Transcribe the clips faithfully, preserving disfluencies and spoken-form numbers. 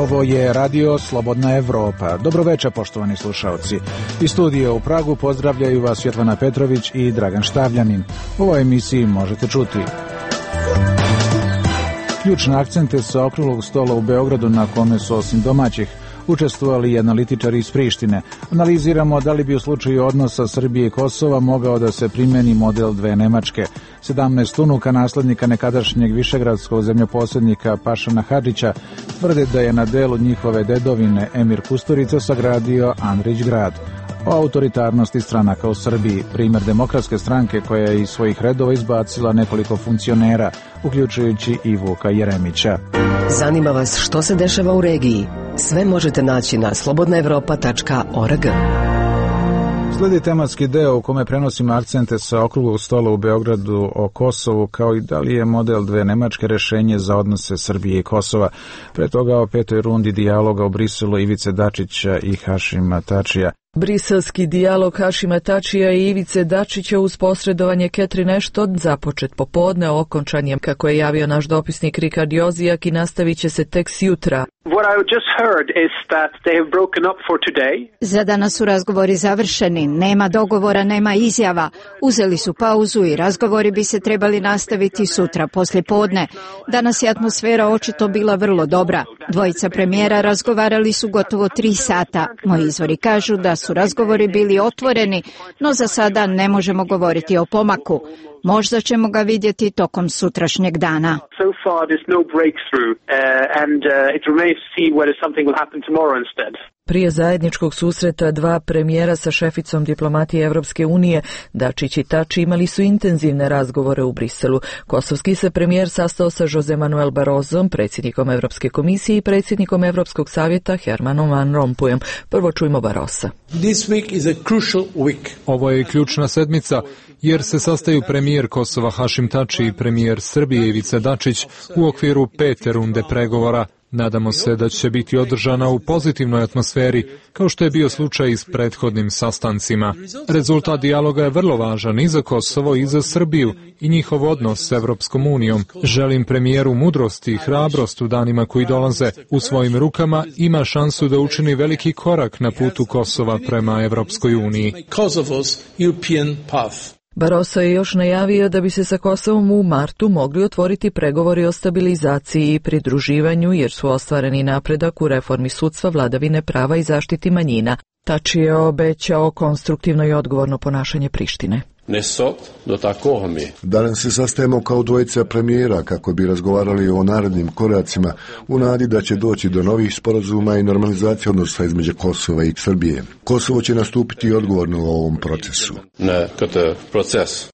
Ovo je Radio Slobodna Evropa. Dobroveče, poštovani slušaoci. Iz studija u Pragu pozdravljaju vas Svetlana Petrović i Dragan Štavljanin. U ovoj emisiji možete čuti ključne akcente sa okruglog stola u Beogradu na kome su osim domaćih učestvovali i analitičari iz Prištine. Analiziramo da li bi u slučaju odnosa Srbije i Kosova mogao da se primeni model dve Nemačke. sedamnaest unuka naslednika nekadašnjeg višegradskog zemljoposjednika Pašana Hadžića tvrde da je na delu njihove dedovine Emir Kusturica sagradio Andrić grad. O autoritarnosti stranaka u Srbiji, primjer Demokratske stranke koja je iz svojih redova izbacila nekoliko funkcionera, uključujući i Vuka Jeremića. Zanima vas što se dešava u regiji? Sve možete naći na slobodna evropa tačka org. Sledi tematski deo u kome prenosimo akcente sa okruglog stola u Beogradu o Kosovu, kao i da li je model dve Nemačke rešenje za odnose Srbije i Kosova. Pre toga o petoj rundi dijaloga u Briselu Ivice Dačića i Hašima Tačija. Briselski dijalog Hašima Tačija i Ivice Dačića uz posredovanje Catherine Ashton započet popodne, okončan je, kako je javio naš dopisnik Rikard Jozijak, i nastavit će se tek jutra. Za danas su razgovori završeni, nema dogovora, nema izjava. Uzeli su pauzu i razgovori bi se trebali nastaviti sutra poslje podne. Danas je atmosfera očito bila vrlo dobra. Dvojica premijera razgovarali su gotovo tri sata. Moji izvori kažu da su razgovori bili otvoreni, no za sada ne možemo govoriti o pomaku. Možda ćemo ga vidjeti tokom sutrašnjeg dana. Prije zajedničkog susreta dva premijera sa šeficom diplomatije Evropske unije, Dačić i Tači imali su intenzivne razgovore u Briselu. Kosovski se premijer sastao sa Jose Manuel Barrosom, predsjednikom Evropske komisije i predsjednikom Evropskog savjeta Hermanom Van Rompuyem. Prvo čujmo Barrosa. Ovo je ključna sedmica jer se sastaju premijer Kosova Hašim Tači i premijer Srbije Ivica Dačić u okviru pete runde pregovora. Nadamo se da će biti održana u pozitivnoj atmosferi, kao što je bio slučaj i s prethodnim sastancima. Rezultat dijaloga je vrlo važan i za Kosovo i za Srbiju i njihov odnos s Evropskom unijom. Želim premijeru mudrost i hrabrost u danima koji dolaze. U svojim rukama ima šansu da učini veliki korak na putu Kosova prema Evropskoj uniji. Barroso je još najavio da bi se sa Kosovom u martu mogli otvoriti pregovori o stabilizaciji i pridruživanju, jer su ostvareni napredak u reformi sudstva, vladavine prava i zaštiti manjina. Tači je obećao konstruktivno i odgovorno ponašanje Prištine. Danas se sastajemo kao dvojica premijera kako bi razgovarali o narednim koracima u nadi da će doći do novih sporazuma i normalizacije odnosa između Kosova i Srbije. Kosovo će nastupiti odgovorno u ovom procesu.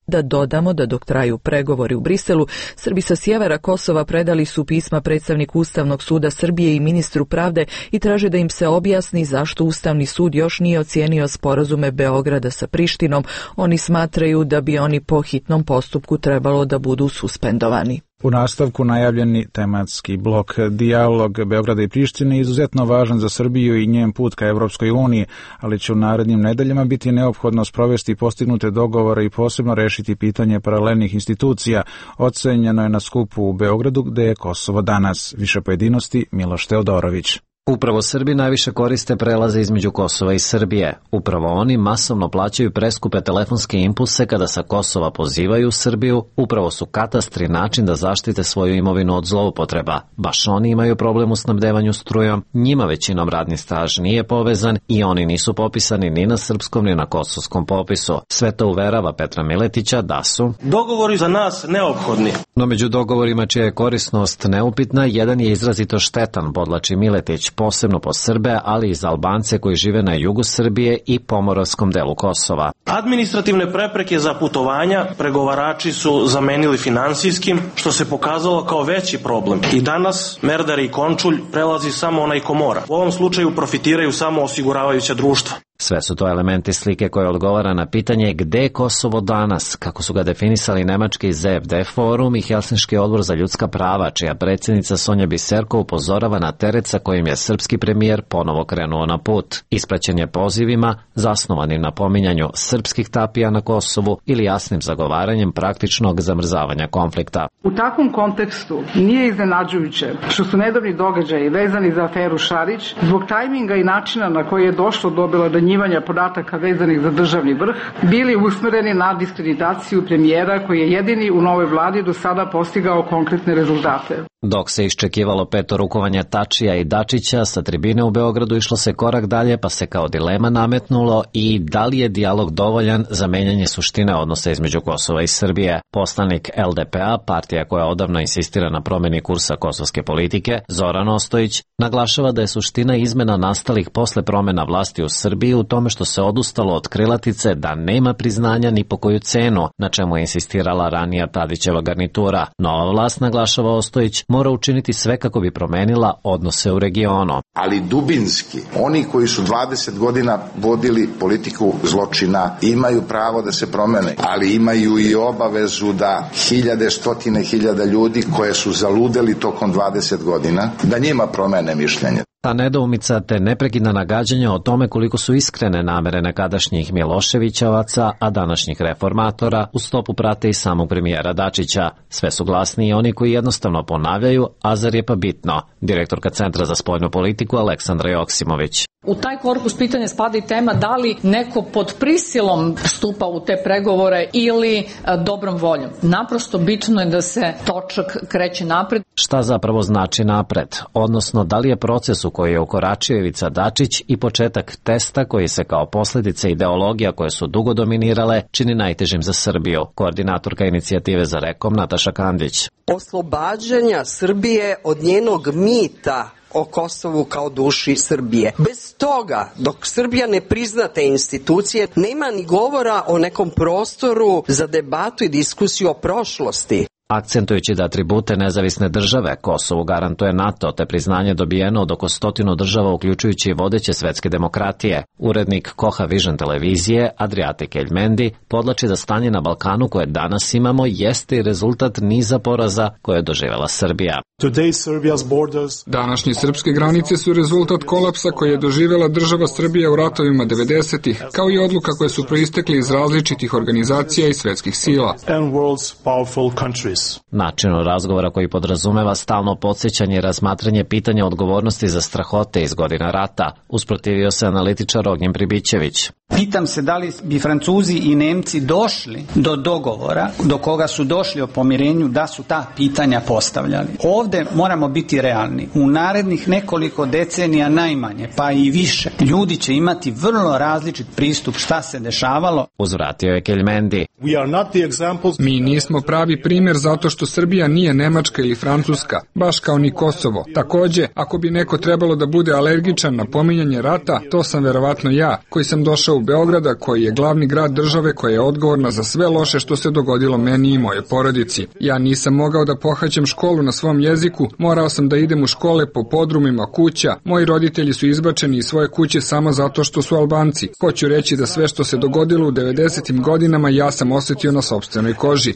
Da dodamo da dok traju pregovori u Briselu, Srbi sa sjevera Kosova predali su pisma predstavniku Ustavnog suda Srbije i ministru pravde i traže da im se objasni zašto Ustavni sud još nije ocijenio sporazume Beograda sa Prištinom. Oni smatraju da bi oni po hitnom postupku trebalo da budu suspendovani. U nastavku najavljeni tematski blok. Dijalog Beograda i Prištine je izuzetno važan za Srbiju i njen put ka Evropskoj uniji, ali će u narednim nedeljama biti neophodno sprovesti postignute dogovore i posebno rešiti pitanje paralelnih institucija. Ocenjeno je na skupu u Beogradu gde je Kosovo danas. Više pojedinosti Miloš Teodorović. Upravo Srbi najviše koriste prelaze između Kosova i Srbije. Upravo oni masovno plaćaju preskupe telefonske impulse kada sa Kosova pozivaju Srbiju. Upravo su katastri način da zaštite svoju imovinu od zloupotreba. Baš oni imaju problem u snabdevanju strujom, njima većinom radni staž nije povezan i oni nisu popisani ni na srpskom ni na kosovskom popisu. Sve to uverava Petra Miletića da su dogovori za nas neophodni. No među dogovorima čija je korisnost neupitna, jedan je izrazito štetan, podlači Miletić, posebno po Srbe, ali i za Albance koji žive na jugu Srbije i pomoravskom delu Kosova. Administrativne prepreke za putovanja pregovarači su zamenili finansijskim, što se pokazalo kao veći problem. I danas Merdari i Končulj prelazi samo onaj ko mora. U ovom slučaju profitiraju samo osiguravajuća društva. Sve su to elementi slike koje odgovara na pitanje gde je Kosovo danas, kako su ga definisali nemački Z F D forum i Helsinški odbor za ljudska prava, čija predsjednica Sonja Biserko upozorava na teret sa kojim je srpski premijer ponovo krenuo na put. Ispraćen je pozivima, zasnovanim na pominjanju srpskih tapija na Kosovu ili jasnim zagovaranjem praktičnog zamrzavanja konflikta. U takvom kontekstu nije iznenađujuće što su nedavni događaji vezani za aferu Šarić zbog tajminga i načina na koji je došlo do obelodanjivanja podataka vezanih za državni vrh bili usmereni na diskreditaciju premijera koji je jedini u novoj vladi do sada postigao konkretne rezultate. Dok se iščekivalo peto rukovanje Tačija i Dačića, sa tribine u Beogradu išlo se korak dalje pa se kao dilema nametnulo i da li je dijalog dovoljan za menjanje suštine odnosa između Kosova i Srbije. Poslanik L D P A, partija koja odavno insistira na promjeni kursa kosovske politike, Zoran Ostojić, naglašava da je suština izmena nastalih posle promjena vlasti u Srbiji u tome što se odustalo od krilatice da nema priznanja ni po koju cenu, na čemu je insistirala ranija Tadićeva garnitura. Nova vlast, naglašava Ostojić, mora učiniti sve kako bi promenila odnose u regionu. Ali dubinski, oni koji su dvadeset godina vodili politiku zločina imaju pravo da se promene, ali imaju i obavezu da hiljade, stotine hiljada ljudi koje su zaludeli tokom dvadeset godina, da njima promene mišljenje. Ta nedoumica te neprekidna nagađanja o tome koliko su iskrene namere nekadašnjih Miloševićevaca, a današnjih reformatora, u stopu prate i samog premijera Dačića. Sve su glasni i oni koji jednostavno ponavljaju, a zar je pa bitno? Direktorka Centra za spoljnu politiku Aleksandra Joksimović. U taj korpus pitanja spada i tema da li neko pod prisilom stupa u te pregovore ili a, dobrom voljom. Naprosto bitno je da se točak kreće napred. Šta zapravo znači napred? Odnosno, da li je proces u koji je ukoračio Ivica Dačić i početak testa koji se kao posljedica ideologija koje su dugo dominirale čini najtežim za Srbiju? Koordinatorka inicijative za Rekom Nataša Kandić. Oslobađanja Srbije od njenog mita o Kosovu kao duši Srbije. Bez toga, dok Srbija ne prizna te institucije, nema ni govora o nekom prostoru za debatu i diskusiju o prošlosti. Akcentujući da atribute nezavisne države Kosovu garantuje NATO, te priznanje dobijeno od oko stotinu država uključujući i vodeće svetske demokratije. Urednik Koha Vision televizije Adriatic Elmendi podlači da stanje na Balkanu koje danas imamo jeste i rezultat niza poraza koje je doživjela Srbija. Današnje srpske granice su rezultat kolapsa koje je doživjela država Srbija u ratovima devedesetih, kao i odluka koje su proistekli iz različitih organizacija i svetskih sila. Načinu razgovora koji podrazumeva stalno podsjećanje i razmatranje pitanja odgovornosti za strahote iz godina rata, usprotivio se analitičar Ognjen Pribićević. Pitam se da li bi Francuzi i Nemci došli do dogovora, do koga su došli o pomirenju, da su ta pitanja postavljali. Ovde moramo biti realni. U narednih nekoliko decenija najmanje, pa i više, ljudi će imati vrlo različit pristup šta se dešavalo. Uzvratio je Keljmendi. Mi nismo pravi primjer zato što Srbija nije Nemačka ili Francuska, baš kao ni Kosovo. Takođe, ako bi neko trebalo da bude alergičan na pominjanje rata, to sam verovatno ja, koji sam došao u Beograda, koji je glavni grad države koja je odgovorna za sve loše što se dogodilo meni i moje porodici. Ja nisam mogao da pohađam školu na svom jeziku, morao sam da idem u škole po podrumima kuća, moji roditelji su izbačeni iz svoje kuće samo zato što su Albanci. Hoću reći da sve što se dogodilo u devedesetim godinama ja sam osjetio na sopstvenoj koži.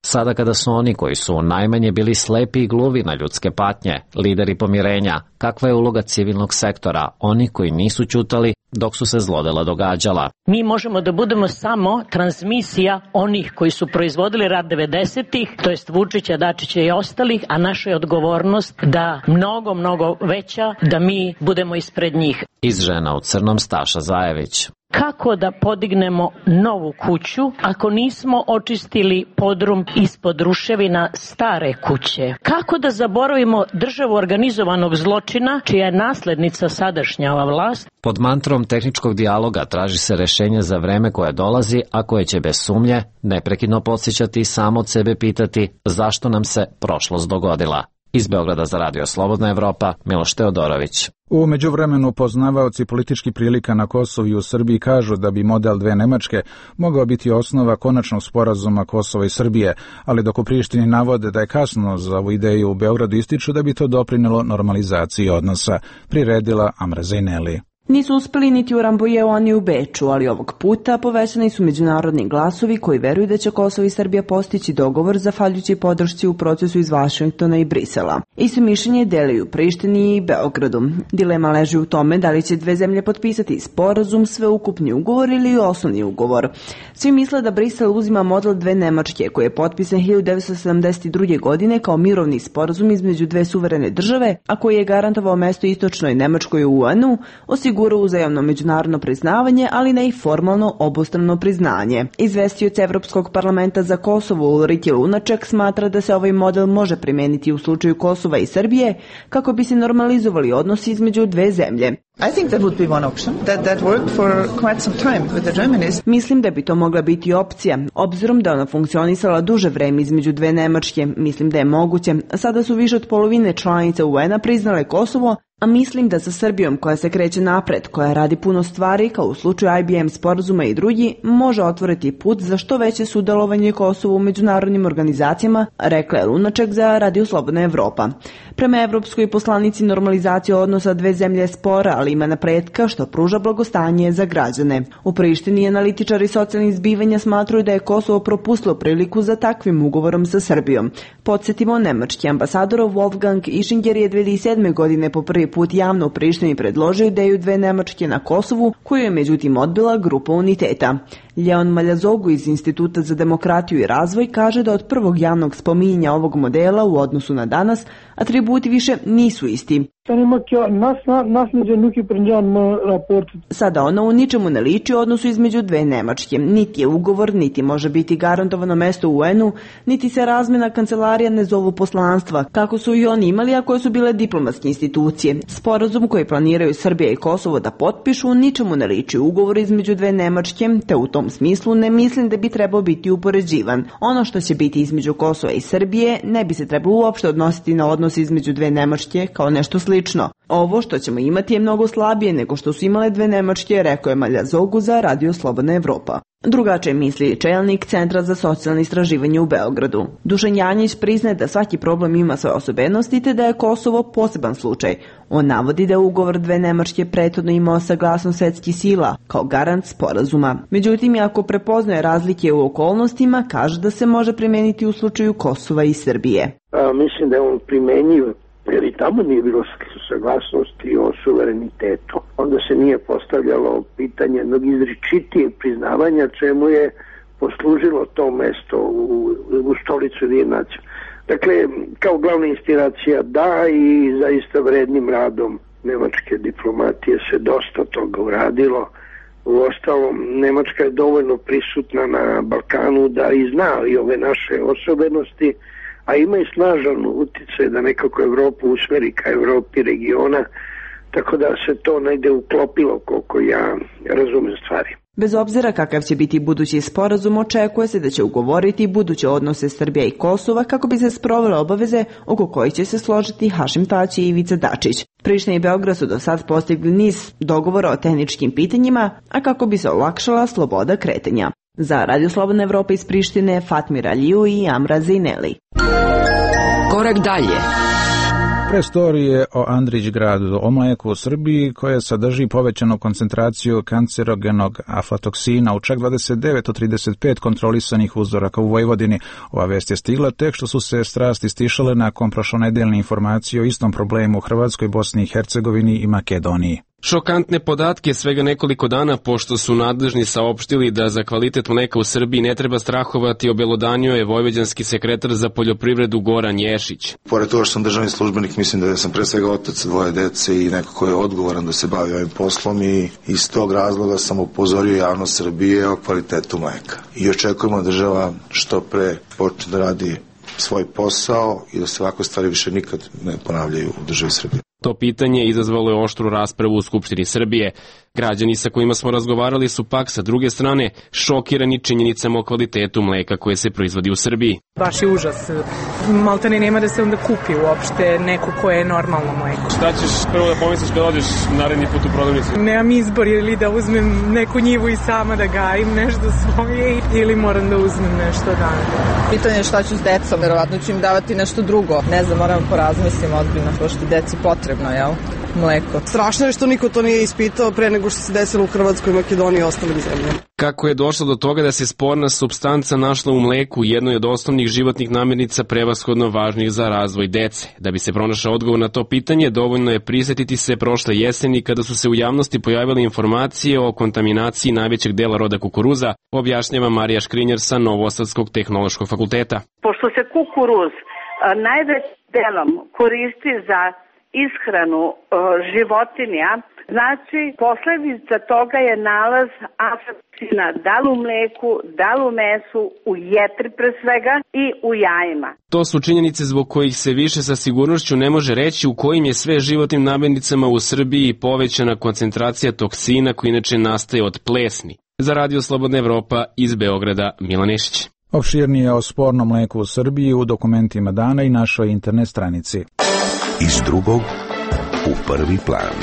Sada kada su oni koji su najmanje bili slepi i gluvi na ljudske patnje, lideri pomirenja, kakva je uloga civilnog sektora, oni koji nisu ćutali dok su se zlodela događala? Mi možemo da budemo samo transmisija onih koji su proizvodili rat devedesetih, to jest Vučića, Dačića i ostalih, a naša je odgovornost da mnogo, mnogo veća, da mi budemo ispred njih. Iz Žena u crnom Staša Zajević. Kako da podignemo novu kuću ako nismo očistili podrum ispod ruševina stare kuće? Kako da zaboravimo državu organizovanog zločina, čija je naslednica sadašnja ova vlast? Pod mantrom tehničkog dijaloga traži se rešenje za vreme koje dolazi, a koje će bez sumnje neprekidno podsjećati i samo od sebe pitati zašto nam se prošlost dogodila. Iz Beograda za Radio Slobodna Evropa, Miloš Teodorović. U međuvremenu poznavaoci političkih prilika na Kosovu i u Srbiji kažu da bi model dve Nemačke mogao biti osnova konačnog sporazuma Kosova i Srbije, ali dok u Prištini navode da je kasno za ovu ideju, u Beogradu ističu da bi to doprinelo normalizaciji odnosa, priredila Amra Zejneli. Nisu uspeli niti u Rambojeu, ani u Beču, ali ovog puta povećani su međunarodni glasovi koji veruju da će Kosovo i Srbija postići dogovor zahvaljujući podršci u procesu iz Vašingtona i Brisela. Isto mišljenje delaju Prištini i Beogradu. Dilema leži u tome da li će dve zemlje potpisati sporazum, sveukupni ugovor ili osnovni ugovor. Svi misle da Brisel uzima model dve Nemačke, koji je potpisan hiljadu devetsto sedamdeset druge. godine kao mirovni sporazum između dve suverene države, a koji je garantovao mesto istočnoj Nemačkoj u U N-u, osigurao uzajamno međunarodno priznavanje, ali ne i formalno obostrano priznanje. Izvestioc Evropskog parlamenta za Kosovo Ulrike Lunaček smatra da se ovaj model može primeniti u slučaju Kosova i Srbije kako bi se normalizovali odnosi između dve zemlje. I think that would be one option. That that worked for quite some time with the Germans. Mislim da bi to mogla biti opcija, obzirom da ona funkcionisala duže vreme između dve Nemačke. Mislim da je moguće. Sada su više od polovine članica U N-a priznale Kosovo, a mislim da sa Srbijom, koja se kreće napred, koja radi puno stvari, kao u slučaju I B M sporazuma i drugi, može otvoriti put za što veće sudjelovanje Kosova u međunarodnim organizacijama, rekla je Lunaček za Radio Slobodna Evropa. Prema evropskoj poslanici normalizacija odnosa dve zemlje je spora, ali ima napretka što pruža blagostanje za građane. U Prištini analitičari socijalnih zbivanja smatruju da je Kosovo propustilo priliku za takvim ugovorom sa Srbijom. Podsjetimo, nemački ambasador Wolfgang Ischinger je dve hiljade sedme. godine po prvi put javno u Prištini predložio ideju dve Nemačke na Kosovu, koju je međutim odbila grupa Uniteta. Leon Maljazogu iz Instituta za demokratiju i razvoj kaže da od prvog javnog spominjanja ovog modela u odnosu na danas atributi više nisu isti. Sada ono u ničemu ne liči u odnosu između dve Nemačke. Niti je ugovor, niti može biti garantovano mesto u U N-u, niti se razmjena kancelarija ne zovu poslanstva, kako su i oni imali, a koje su bile diplomatske institucije. Sporazum koji planiraju Srbija i Kosovo da potpišu ničemu ne liči ugovor između dve Nemačke, te u tom smislu ne mislim da bi trebao biti upoređivan. Ono što će biti između Kosova i Srbije ne bi se trebalo uopšte odnositi na odnos između dve Nemačke kao nešto slično. Ovo što ćemo imati je mnogo slabije nego što su imale dve Nemačke, rekao je Maljazogu za Radio Slobodna Evropa. Drugačije misli čelnik Centra za socijalno istraživanje u Beogradu. Dušan Janjić priznaje da svaki problem ima svoje osobenosti te da je Kosovo poseban slučaj. On navodi da je ugovor dve Nemačke prethodno imao saglasnost svetskih sila kao garant sporazuma. Međutim, ako prepoznaje razlike u okolnostima, kaže da se može primeniti u slučaju Kosova i Srbije. A, mislim da je on primenjiv, jer i tamo nije bilo saglasnosti o suverenitetu. Onda se nije postavljalo pitanje jednog izričitijeg priznavanja, čemu je poslužilo to mesto u, u stolicu Ujedinjenih nacija. Dakle, kao glavna inspiracija da, i zaista vrednim radom nemačke diplomatije se dosta toga uradilo. Uostalom, Nemačka je dovoljno prisutna na Balkanu da i zna i ove naše osobenosti, a ima i snažan uticaj da nekako Evropu usmeri ka Evropi regiona, tako da se to negde uklopilo koliko ja razumem stvari. Bez obzira kakav će biti budući sporazum, očekuje se da će ugovoriti buduće odnose Srbija i Kosova kako bi se sprovele obaveze oko kojih će se složiti Hašim Tači i Ivica Dačić. Priština i Beograd su do sad postigli niz dogovora o tehničkim pitanjima, a kako bi se olakšala sloboda kretanja. Za Radio Slobodna Evropa iz Prištine, Fatmir Aliju i Amra Zineli. Korak dalje. Prestorije o Andrić gradu, o mleku u Srbiji, koje sadrži povećanu koncentraciju kancerogenog aflatoksina u čak dvadeset devet od trideset pet kontrolisanih uzoraka u Vojvodini. Ova vest je stigla tek što su se strasti stišale nakon prošlonedeljne informacije o istom problemu u Hrvatskoj, Bosni i Hercegovini i Makedoniji. Šokantne podatke svega nekoliko dana pošto su nadležni saopštili da za kvalitet mleka u Srbiji ne treba strahovati, obelodanio je vojvođanski sekretar za poljoprivredu Goran Ješić. Pored toga što sam državni službenik, mislim da sam pre svega otac dvoje dece i neko ko je odgovoran da se bavi ovim poslom, i iz tog razloga sam upozorio javnost Srbije o kvalitetu mleka. I očekujemo da država što pre počne da radi svoj posao i da se ovakve stvari više nikad ne ponavljaju u državi Srbije. To pitanje izazvalo je oštru raspravu u Skupštini Srbije. Građani sa kojima smo razgovarali su pak sa druge strane šokirani činjenicama o kvalitetu mleka koje se proizvodi u Srbiji. Baš je užas. Maltene nema da se onda kupi uopšte neko koje je normalno mleko. Šta ćeš prvo da pomisliš kad odeš naredni put u prodavnicu? Nemam izbor ili da uzmem neku njivu i sama da gajim nešto svoje ili moram da uzmem nešto dana. Pitanje je šta ću s decom, verovatno ću im davati nešto drugo. Ne znam, moram porazmislim odbiljno, pošto je deci potrebno, jel? Mleko. Strašno je što niko to nije ispitao pre nego što se desilo u Hrvatskoj, Makedoniji i ostalim zemljama. Kako je došlo do toga da se sporna supstanca našla u mleku, jednoj od osnovnih životnih namirnica prevashodno važnih za razvoj dece? Da bi se pronašao odgovor na to pitanje, dovoljno je prisetiti se prošle jeseni kada su se u javnosti pojavile informacije o kontaminaciji najvećeg dela roda kukuruza, objašnjava Marija Škrinjar sa Novosadskog tehnološkog fakulteta. Pošto se kukuruz najvećim delom koristi za ishranu životinja, znači posledica toga je nalaz aflatoksina da li u mleku, da li u mesu, u jetri pre svega i u jajima. To su činjenice zbog kojih se više sa sigurnošću ne može reći u kojim je sve životnim namirnicama u Srbiji povećana koncentracija toksina koji inače nastaje od plesni. Za Radio Slobodna Evropa iz Beograda, Milan Nešić. Opširnije o spornom mleku u Srbiji u dokumentima dana i našoj internet stranici. Iz drugog u prvi plan.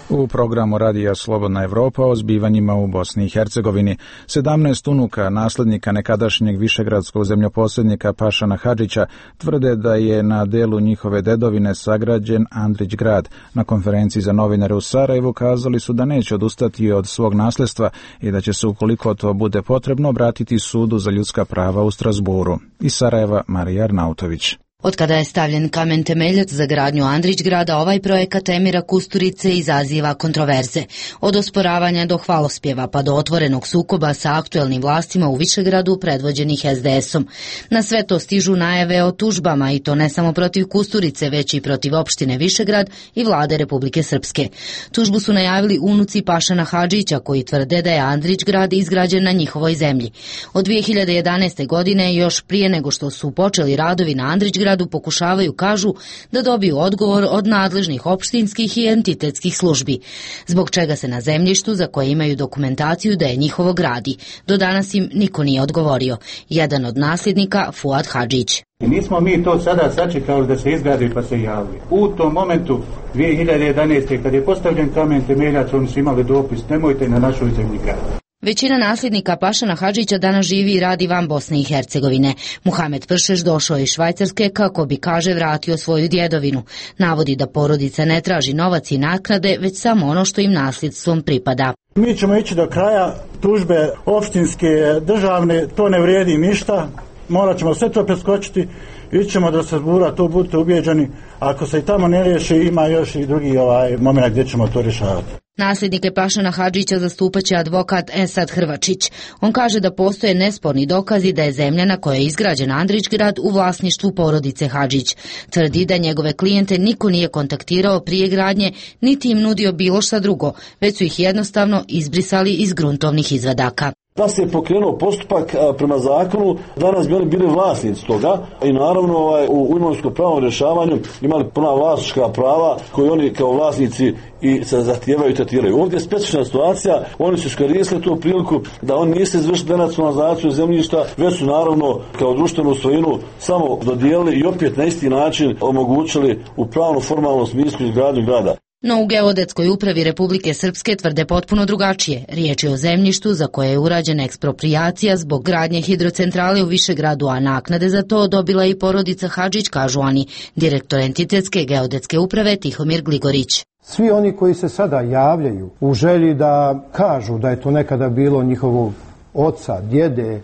U programu Radija Slobodna Evropa o zbivanjima u Bosni i Hercegovini sedamnaest unuka naslednika nekadašnjeg višegradskog zemljoposjednika Pašana Hadžića tvrde da je na delu njihove dedovine sagrađen Andrić grad. Na konferenciji za novinare u Sarajevu kazali su da neće odustati od svog nasledstva i da će se, ukoliko to bude potrebno, obratiti sudu za ljudska prava u Strasburu. Iz Sarajeva, Marija Arnautović. Od kada je stavljen kamen temeljac za gradnju Andrić grada, ovaj projekat Emira Kusturice izaziva kontroverze. Od osporavanja do hvalospjeva pa do otvorenog sukoba sa aktuelnim vlastima u Višegradu predvođenih es de esom. Na sve to stižu najave o tužbama i to ne samo protiv Kusturice, već i protiv opštine Višegrad i vlade Republike Srpske. Tužbu su najavili unuci Pašana Hadžića koji tvrde da je Andrić grad izgrađen na njihovoj zemlji. Od dvije hiljade jedanaeste. godine, još prije nego što su počeli radovi na Andrić gradu, pokušavaju, kažu, da dobiju odgovor od nadležnih opštinskih i entitetskih službi, zbog čega se na zemljištu za koje imaju dokumentaciju da je njihovo gradi. Do danas im niko nije odgovorio. Jedan od nasljednika, Fuad Hadžić. I nismo mi to sada sačekali da se izgradi pa se javili. U tom momentu dvije hiljade jedanaeste. kad je postavljen kamen temeljac, oni su imali dopis, nemojte na našoj zemlji graditi. Većina nasljednika Pašana Hadžića danas živi i radi van Bosne i Hercegovine. Muhamed Pršeš došao je iz Švajcarske kako bi, kaže, vratio svoju djedovinu. Navodi da porodica ne traži novac i naknade, već samo ono što im nasljedstvom pripada. Mi ćemo ići do kraja, tužbe opštinske, državne, to ne vrijedi ništa. Morat ćemo sve to preskočiti, ićemo do Strasbura, to budite ubijeđeni. Ako se i tamo ne riješi, ima još i drugi ovaj moment gdje ćemo to rješavati. Nasljednike Pašana Hadžića zastupaće advokat Esad Hrvačić. On kaže da postoje nesporni dokazi da je zemlja na kojoj je izgrađen Andrić grad u vlasništvu porodice Hadžić. Tvrdi da njegove klijente niko nije kontaktirao prije gradnje, niti im nudio bilo šta drugo, već su ih jednostavno izbrisali iz gruntovnih izvadaka. Da se je pokrenuo postupak prema zakonu, danas bi oni bili vlasnici toga i naravno ovaj, u imovinskom pravnom rješavanju imali puna vlasnička prava koje oni kao vlasnici i se zahtijevaju i tretiraju. Ovdje je specifična situacija, oni su iskoristili tu priliku da oni nisu izvršili denacionalizaciju zemljišta, već su naravno kao društvenu svojinu samo dodijelili i opet na isti način omogućili u pravno formalnom smislu izgradnju grada. No u Geodetskoj upravi Republike Srpske tvrde potpuno drugačije. Riječ je o zemljištu za koje je urađena eksproprijacija zbog gradnje hidrocentrale u Višegradu, a naknade za to dobila i porodica Hadžić, kažu oni, direktor entitetske geodetske uprave Tihomir Gligorić. Svi oni koji se sada javljaju u želji da kažu da je to nekada bilo njihovog oca, djede,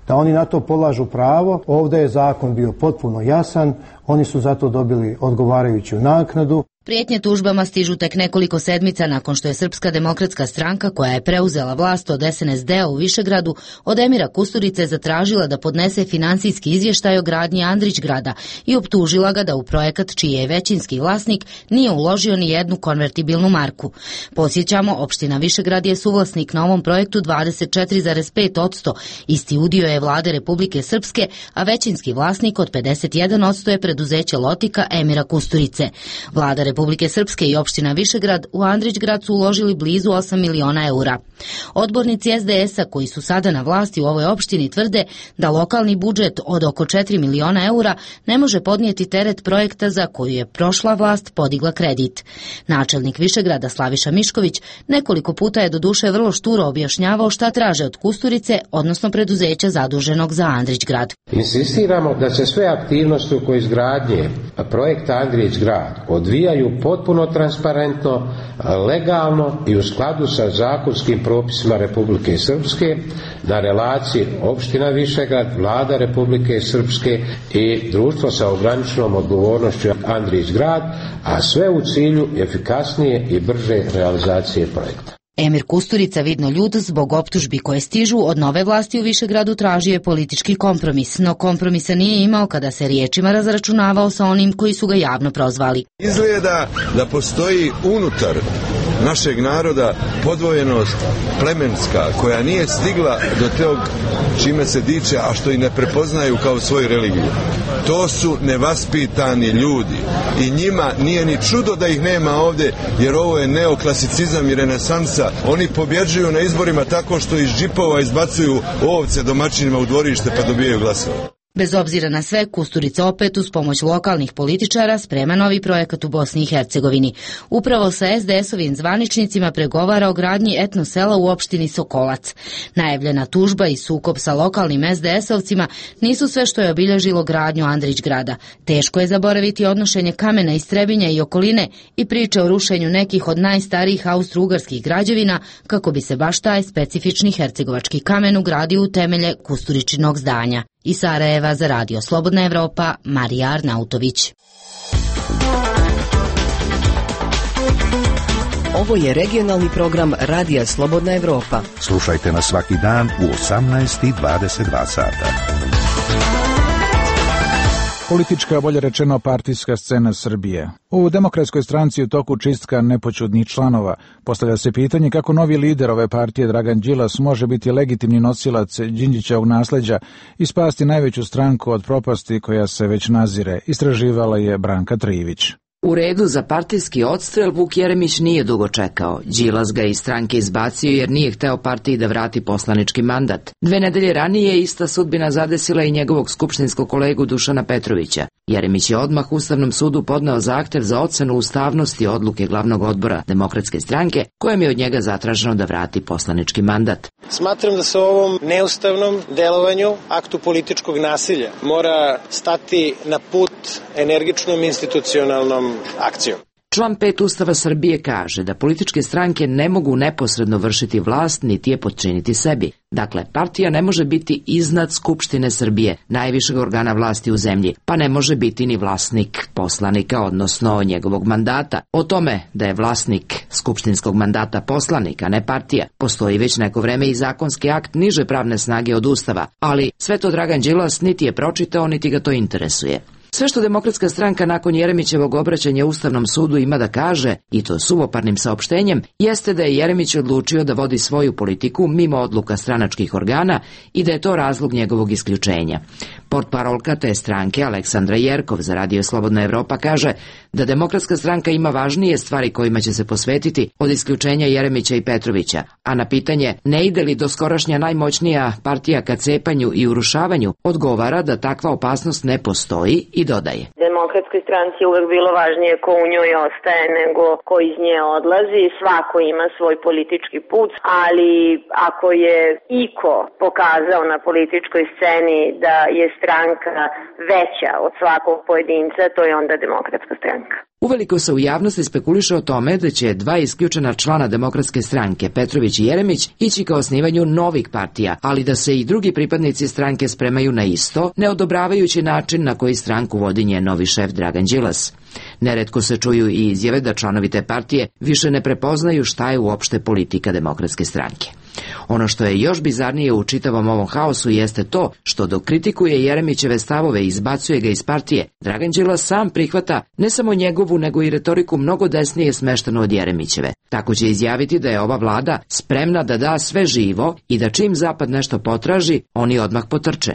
da oni na to polažu pravo, ovdje je zakon bio potpuno jasan, oni su zato dobili odgovarajuću naknadu. Prijetnje tužbama stižu tek nekoliko sedmica nakon što je Srpska demokratska stranka, koja je preuzela vlast od es en es de a u Višegradu, od Emira Kusturice zatražila da podnese finansijski izvještaj o gradnji Andrić grada i optužila ga da u projekat čiji je većinski vlasnik nije uložio ni jednu konvertibilnu marku. Posjećamo, opština Višegrad je suvlasnik na ovom projektu dvadeset četiri zarez pet posto, isti udio je vlade Republike Srpske, a većinski vlasnik od pedeset jedan posto je preduzeće Lotika Emira Kusturice. Vlada Republike Srpske i opština Višegrad u Andrićgrad su uložili blizu osam miliona eura. Odbornici es de es a koji su sada na vlasti u ovoj opštini tvrde da lokalni budžet od oko četiri miliona eura ne može podnijeti teret projekta za koju je prošla vlast podigla kredit. Načelnik Višegrada Slaviša Mišković nekoliko puta je doduše vrlo šturo objašnjavao šta traže od Kusturice, odnosno preduzeća zaduženog za Andrićgrad. Insistiramo da se sve aktivnosti oko izgradnje projekta Andrićgrad odvijaju potpuno transparentno, legalno i u skladu sa zakonskim propisima Republike Srpske na relaciji opština Višegrad, vlada Republike Srpske i društvo sa ograničenom odgovornošću Andrićgrad, a sve u cilju efikasnije i brže realizacije projekta. Emir Kusturica, vidno ljud zbog optužbi koje stižu od nove vlasti u Višegradu, tražio je politički kompromis, no kompromisa nije imao kada se riječima razračunavao sa onim koji su ga javno prozvali. Izgleda da postoji unutar našeg naroda podvojenost plemenska koja nije stigla do tog čime se diče, a što i ne prepoznaju kao svoju religiju. To su nevaspitani ljudi i njima nije ni čudo da ih nema ovdje, jer ovo je neoklasicizam i renesansa. Oni pobjeđuju na izborima tako što iz džipova izbacuju ovce domaćinima u dvorište pa dobijaju glasove. Bez obzira na sve, Kusturica opet uz pomoć lokalnih političara sprema novi projekat u Bosni i Hercegovini. Upravo sa es de es-ovim zvaničnicima pregovara o gradnji etno sela u opštini Sokolac. Najavljena tužba i sukob sa lokalnim es de es-ovcima nisu sve što je obilježilo gradnju Andrićgrada. Teško je zaboraviti odnošenje kamena iz Trebinja i okoline i priče o rušenju nekih od najstarijih austro-ugarskih građevina kako bi se baš taj specifični hercegovački kamen ugradio u temelje Kusturičinog zdanja. Iz Sarajeva za Radio Slobodna Evropa, Marija Arnautović. Ovo je regionalni program Radija Slobodna Evropa. Slušajte nas svaki dan u osamnaest i dvadeset dva sata. Politička, bolje rečeno partijska scena Srbije. U Demokratskoj stranci u toku čistka nepoćudnih članova. Postavlja se pitanje kako novi lider ove partije Dragan Đilas može biti legitimni nosilac Đinđićevog nasleđa i spasti najveću stranku od propasti koja se već nazire, istraživala je Branka Trivić. U redu za partijski odstrel Vuk Jeremić nije dugo čekao. Đilas ga iz stranke izbacio jer nije hteo partiji da vrati poslanički mandat. Dve nedelje ranije ista sudbina zadesila i njegovog skupštinskog kolegu Dušana Petrovića. Jeremić je odmah Ustavnom sudu podneo zahtev za ocenu ustavnosti odluke glavnog odbora Demokratske stranke, kojem je od njega zatraženo da vrati poslanički mandat. Smatram da se ovom neustavnom delovanju, aktu političkog nasilja, mora stati na put energičnom institucionalnom akcijom. Član pet Ustava Srbije kaže da političke stranke ne mogu neposredno vršiti vlast niti je potčiniti sebi. Dakle, partija ne može biti iznad Skupštine Srbije, najvišeg organa vlasti u zemlji, pa ne može biti ni vlasnik poslanika, odnosno njegovog mandata. O tome da je vlasnik skupštinskog mandata poslanik, a ne partija, postoji već neko vreme i zakonski akt niže pravne snage od Ustava, ali sve to Dragan Đilas niti je pročitao, niti ga to interesuje. Sve što Demokratska stranka nakon Jeremićevog obraćanja Ustavnom sudu ima da kaže, i to suvoparnim saopštenjem, jeste da je Jeremić odlučio da vodi svoju politiku mimo odluka stranačkih organa i da je to razlog njegovog isključenja. Portparolka te stranke Aleksandra Jerkov za Radio Slobodna Evropa kaže da Demokratska stranka ima važnije stvari kojima će se posvetiti od isključenja Jeremića i Petrovića, a na pitanje ne ide li doskorašnja najmoćnija partija ka cepanju i urušavanju, odgovara da takva opasnost ne postoji i dodaje. Demokratskoj stranci je uvek bilo važnije ko u njoj ostaje nego ko iz nje odlazi. Svako ima svoj politički put, ali ako je iko pokazao na političkoj sceni da je stranka veća od svakog pojedinca, to je onda Demokratska stranka. Uveliko se u javnosti spekuliše o tome da će dva isključena člana Demokratske stranke, Petrović i Jeremić, ići ka osnivanju novih partija, ali da se i drugi pripadnici stranke spremaju na isto, ne odobravajući način na koji stranku vodi njen novi šef Dragan Đilas. Neretko se čuju i izjave da članovi te partije više ne prepoznaju šta je uopšte politika Demokratske stranke. Ono što je još bizarnije u čitavom ovom haosu jeste to što dok kritikuje Jeremićeve stavove i izbacuje ga iz partije, Dragan Đilas sam prihvata ne samo njegovu nego i retoriku mnogo desnije smeštenu od Jeremićeve. Tako će izjaviti da je ova vlada spremna da da sve živo i da čim Zapad nešto potraži, oni odmah potrče.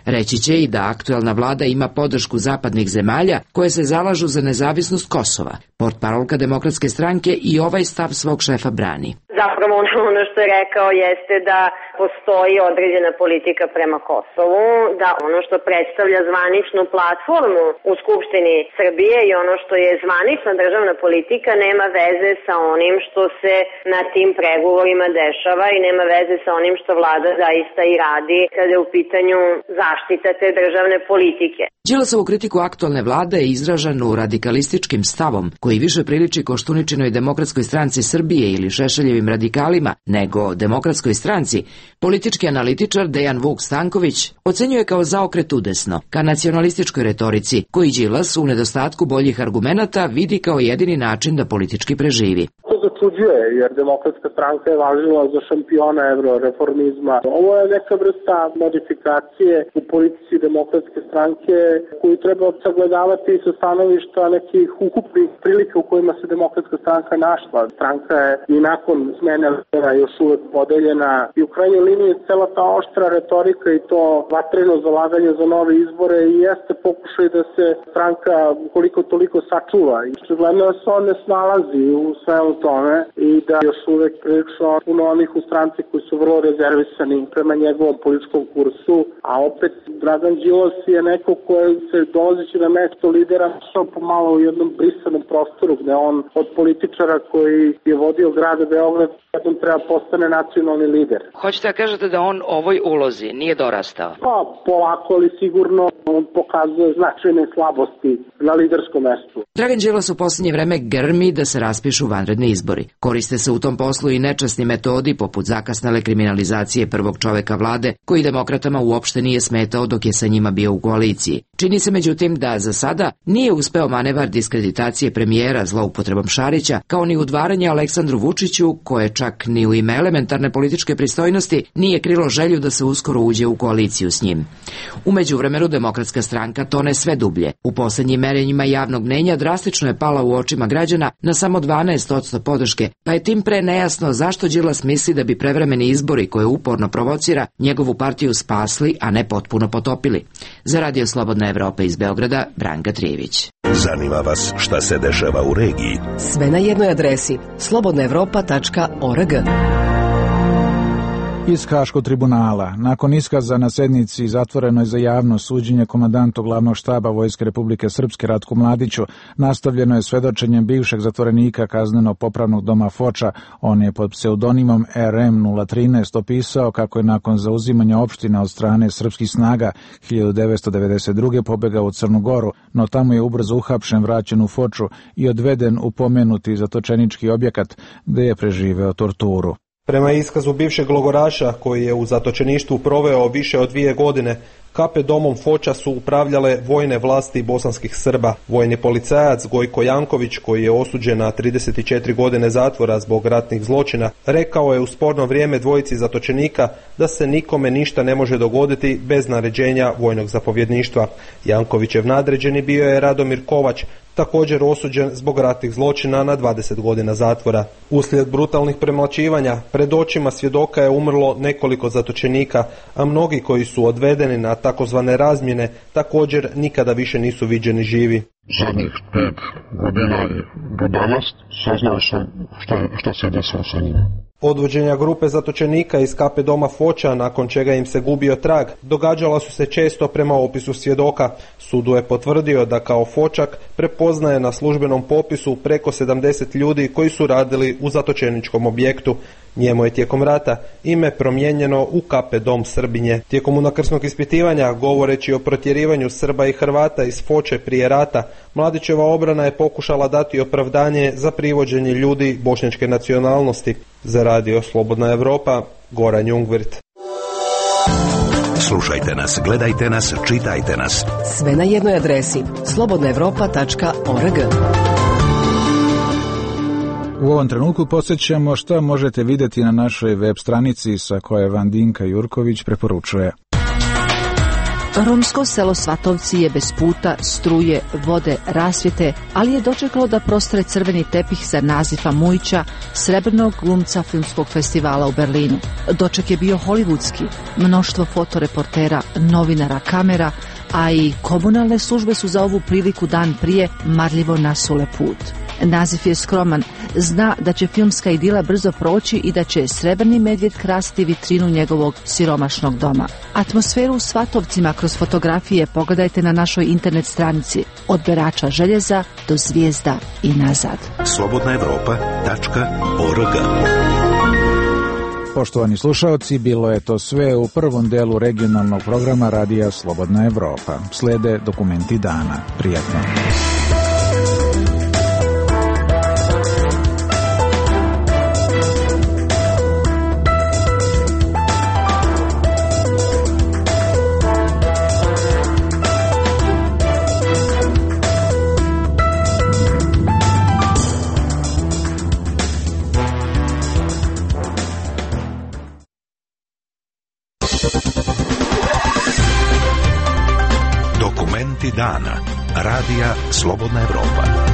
Reći će i da aktuelna vlada ima podršku zapadnih zemalja koje se zalažu za nezavisnost Kosova. Portparolka Demokratske stranke i ovaj stav svog šefa brani. Zapravo ono što je rekao jeste da postoji određena politika prema Kosovu, da ono što predstavlja zvaničnu platformu u Skupštini Srbije i ono što je zvanična državna politika nema veze sa onim što se na tim pregovorima dešava i nema veze sa onim što vlada zaista i radi kada je u pitanju zaštita te državne politike. Đilasovu kritiku aktualne vlade je izraženu radikalističkim stavom koji više priliči Koštuničinoj Demokratskoj stranci Srbije ili Šešeljevim radikalima nego Demokratskoj stranci. Politički analitičar Dejan Vuk Stanković ocenjuje kao zaokret udesno ka nacionalističkoj retorici, koji Đilas u nedostatku boljih argumenata vidi kao jedini način da politički preživi. To začuđuje, jer Demokratska stranka je važila za šampiona euroreformizma. Ovo je neka vrsta modifikacije u politici Demokratske stranke koju treba sagledavati sa stanovišta nekih ukupnih prilika u kojima se Demokratska stranka našla. Stranka je i nakon smene lidera još uvek podeljena i u krajnjoj liniji cela ta oštra retorika i to vatreno zalaganje za nove izbore i jeste pokušaj da se stranka koliko toliko sačuva. I očigledno se on ne snalazi u svemu tome i da još uvek prilično puno onih u stranci koji su vrlo rezervisani prema njegovom političkom kursu, a opet Dragan Đilas je neko koji se dolazeći na mesto lidera što pomalo u jednom brisanom prostoru gde on od političara koji je vodio grad Beograd jednom treba postane nacionalni lider. Hoćete da kažete da on ovoj ulozi nije dorastao? Pa polako, ali sigurno on pokazuje značajne slabosti na liderskom mestu. Dragan Đilas u posljednje vreme grmi da se raspišu vanredni izbori. Koriste se u tom poslu i nečasni metodi poput zakasnele kriminalizacije prvog čoveka vlade, koji demokratama uopšte nije smetao dok je sa njima bio u koaliciji. Čini se međutim da za sada nije uspeo manevar diskreditacije premijera zloupotrebom Šarića, kao ni udvaranje Aleksandru Vučiću, koje čak ni u ime elementarne političke pristojnosti nije krilo želju da se uskoro uđe u koaliciju s njim. U međuvremenu Demokratska stranka tone sve dublje. U poslednjim merenjima javnog mnenja drastično je pala u očima građana na samo dvanaest posto podrške, pa je tim pre nejasno zašto Đilas misli da bi prevremeni izbori koje uporno provocira njegovu partiju spasli, a ne potpuno potopili. Za Radio Slobodna Evropa iz Beograda, Branka Trijević. Zanima vas šta se dešava u regiji? Sve na jednoj adresi slobodna evropa tačka org. Iz Haškog tribunala. Nakon iskaza na sednici zatvorenoj za javno suđenje komandantu glavnog štaba Vojske Republike Srpske Ratku Mladiću, nastavljeno je svedočenjem bivšeg zatvorenika kazneno-popravnog doma Foča. On je pod pseudonimom R M nula trinaest opisao kako je nakon zauzimanja opština od strane srpskih snaga hiljadu devetsto devedeset druge pobegao u Crnu Goru, no tamo je ubrzo uhapšen, vraćen u Foču i odveden u pomenuti zatočenički objekat gde je preživeo torturu. Prema iskazu bivšeg logoraša, koji je u zatočeništvu proveo više od dvije godine, K P domom Foča su upravljale vojne vlasti bosanskih Srba. Vojni policajac Gojko Janković, koji je osuđen na trideset četiri godine zatvora zbog ratnih zločina, rekao je u sporno vrijeme dvojici zatočenika da se nikome ništa ne može dogoditi bez naređenja vojnog zapovjedništva. Jankovićev nadređeni bio je Radomir Kovač, također osuđen zbog ratnih zločina na dvadeset godina zatvora. Uslijed brutalnih premlaćivanja, pred očima svjedoka je umrlo nekoliko zatočenika, a mnogi koji su odvedeni na takozvane razmjene također nikada više nisu viđeni živi. Zadnjih pet godina do danas saznao sam šta, šta se desilo sa njima. Odvođenja grupe zatočenika iz K P doma Foča, nakon čega im se gubio trag, događala su se često prema opisu svjedoka. Sudu je potvrdio da kao Fočak prepoznaje na službenom popisu preko sedamdeset ljudi koji su radili u zatočeničkom objektu. Njemu je tijekom rata ime promijenjeno u K P dom Srbinje. Tijekom unakrsnog ispitivanja, govoreći o protjerivanju Srba i Hrvata iz Foče prije rata, Mladićeva obrana je pokušala dati opravdanje za privođenje ljudi bošnjačke nacionalnosti. Za Radio Slobodna Evropa, Goran Jungvirt. Slušajte nas, gledajte nas, čitajte nas. Sve na jednoj adresi slobodna evropa tačka org. U ovom trenutku podsjećamo šta možete vidjeti na našoj web stranici sa koje vam Dinka Jurković preporučuje. Romsko selo Svatovci je bez puta, struje, vode, rasvjete, ali je dočekalo da prostre crveni tepih za Nazifa Mujića, srebrnog glumca filmskog festivala u Berlinu. Doček je bio hollywoodski, mnoštvo fotoreportera, novinara, kamera, a i komunalne službe su za ovu priliku dan prije marljivo nasule put. Nazif je skroman, zna da će filmska idila brzo proći i da će srebrni medvjed krasiti vitrinu njegovog siromašnog doma. Atmosferu u Svatovcima kroz fotografije pogledajte na našoj internet stranici od berača željeza do zvijezda i nazad. slobodna evropa tačka org. Poštovani slušaoci, bilo je to sve u prvom delu regionalnog programa Radija Slobodna Evropa. Slede dokumenti dana. Prijatno. Dana. Radija Slobodna Evropa.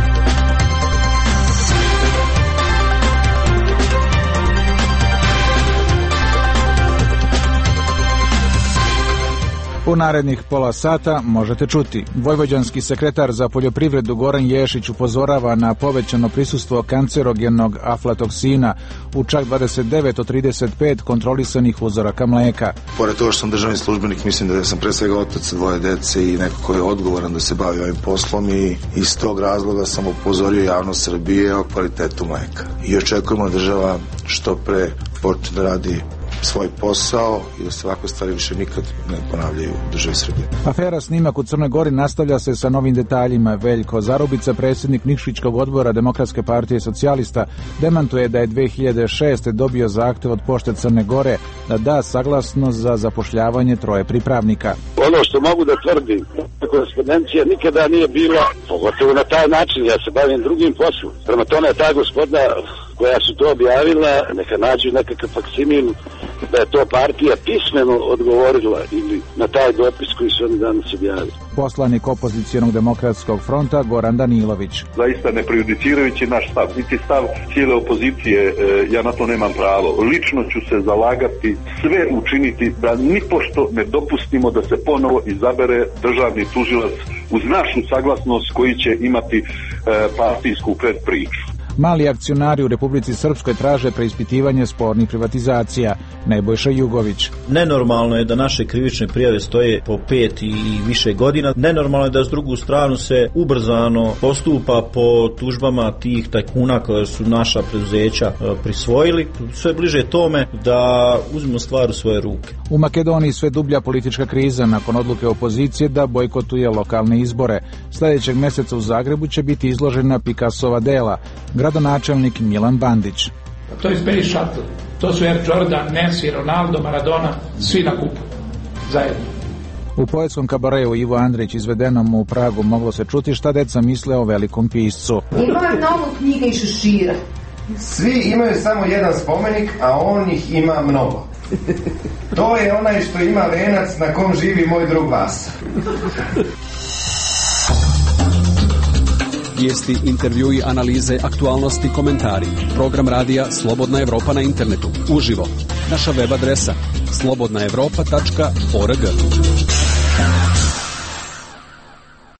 U narednih pola sata možete čuti. Vojvođanski sekretar za poljoprivredu Goran Ješić upozorava na povećano prisustvo kancerogenog aflatoksina u čak dvadeset devet od trideset pet kontrolisanih uzoraka mleka. Pored toga što sam državni službenik, mislim da sam pre svega otac dvoje dece i neko ko je odgovoran da se bavi ovim poslom i iz tog razloga sam upozorio javnost Srbije o kvalitetu mleka. I očekujemo da država što pre počne da radi svoj posao i da se ovakve stvari više nikad ne ponavljaju u državi Srbije. Afera snimak u Crnoj Gori nastavlja se sa novim detaljima. Veljko Zarubica, predsjednik Nikšićkog odbora Demokratske partije socijalista, demantuje da je dve hiljade šeste. dobio zahtev od Pošte Crne Gore da da saglasnost za zapošljavanje troje pripravnika. Ono što mogu da tvrdim, korespondencija nikada nije bila, pogotovo na taj način, ja se bavim drugim poslom. Prema tome ta gospoda koja su to objavila, neka nađu nekakav faksimil da je to partija pismeno odgovorila ili na taj dopis koji su oni danas objavili. Poslanik opozicijonog demokratskog fronta Goran Danilović. Zaista ne prejudicirajući naš stav, niti stav cijele opozicije, ja na to nemam pravo. Lično ću se zalagati, sve učiniti da nipošto ne dopustimo da se ponovo izabere državni tužilac uz našu saglasnost koji će imati partijsku predpriču. Mali akcionari u Republici Srpskoj traže preispitivanje spornih privatizacija. Nebojša Jugović. Nenormalno je da naše krivične prijave stoje po pet i više godina. Nenormalno je da s drugu stranu se ubrzano postupa po tužbama tih tajkuna koje su naša preduzeća prisvojili. Sve bliže tome da uzmemo stvar u svoje ruke. U Makedoniji sve dublja politička kriza nakon odluke opozicije da bojkotuje lokalne izbore. Sljedećeg mjeseca u Zagrebu će biti izložena Picassova dela. Gradonačelnik Milan Bandić. To je Space Shuttle. To su Air Jordan, Messi, Ronaldo, Maradona, svi na kupu. Zajedno. U poetskom kabareu Ivo Andrić izvedenom u Pragu moglo se čuti šta deca misle o velikom piscu. Ima mnogo knjiga i šešira. Svi imaju samo jedan spomenik, a on ih ima mnogo. To je onaj što ima venac na kom živi moj drug Vasa. Vijesti, intervjui, analize, aktualnosti, komentari. Program radija Slobodna Evropa na internetu. Uživo. Naša web adresa slobodna evropa tačka org.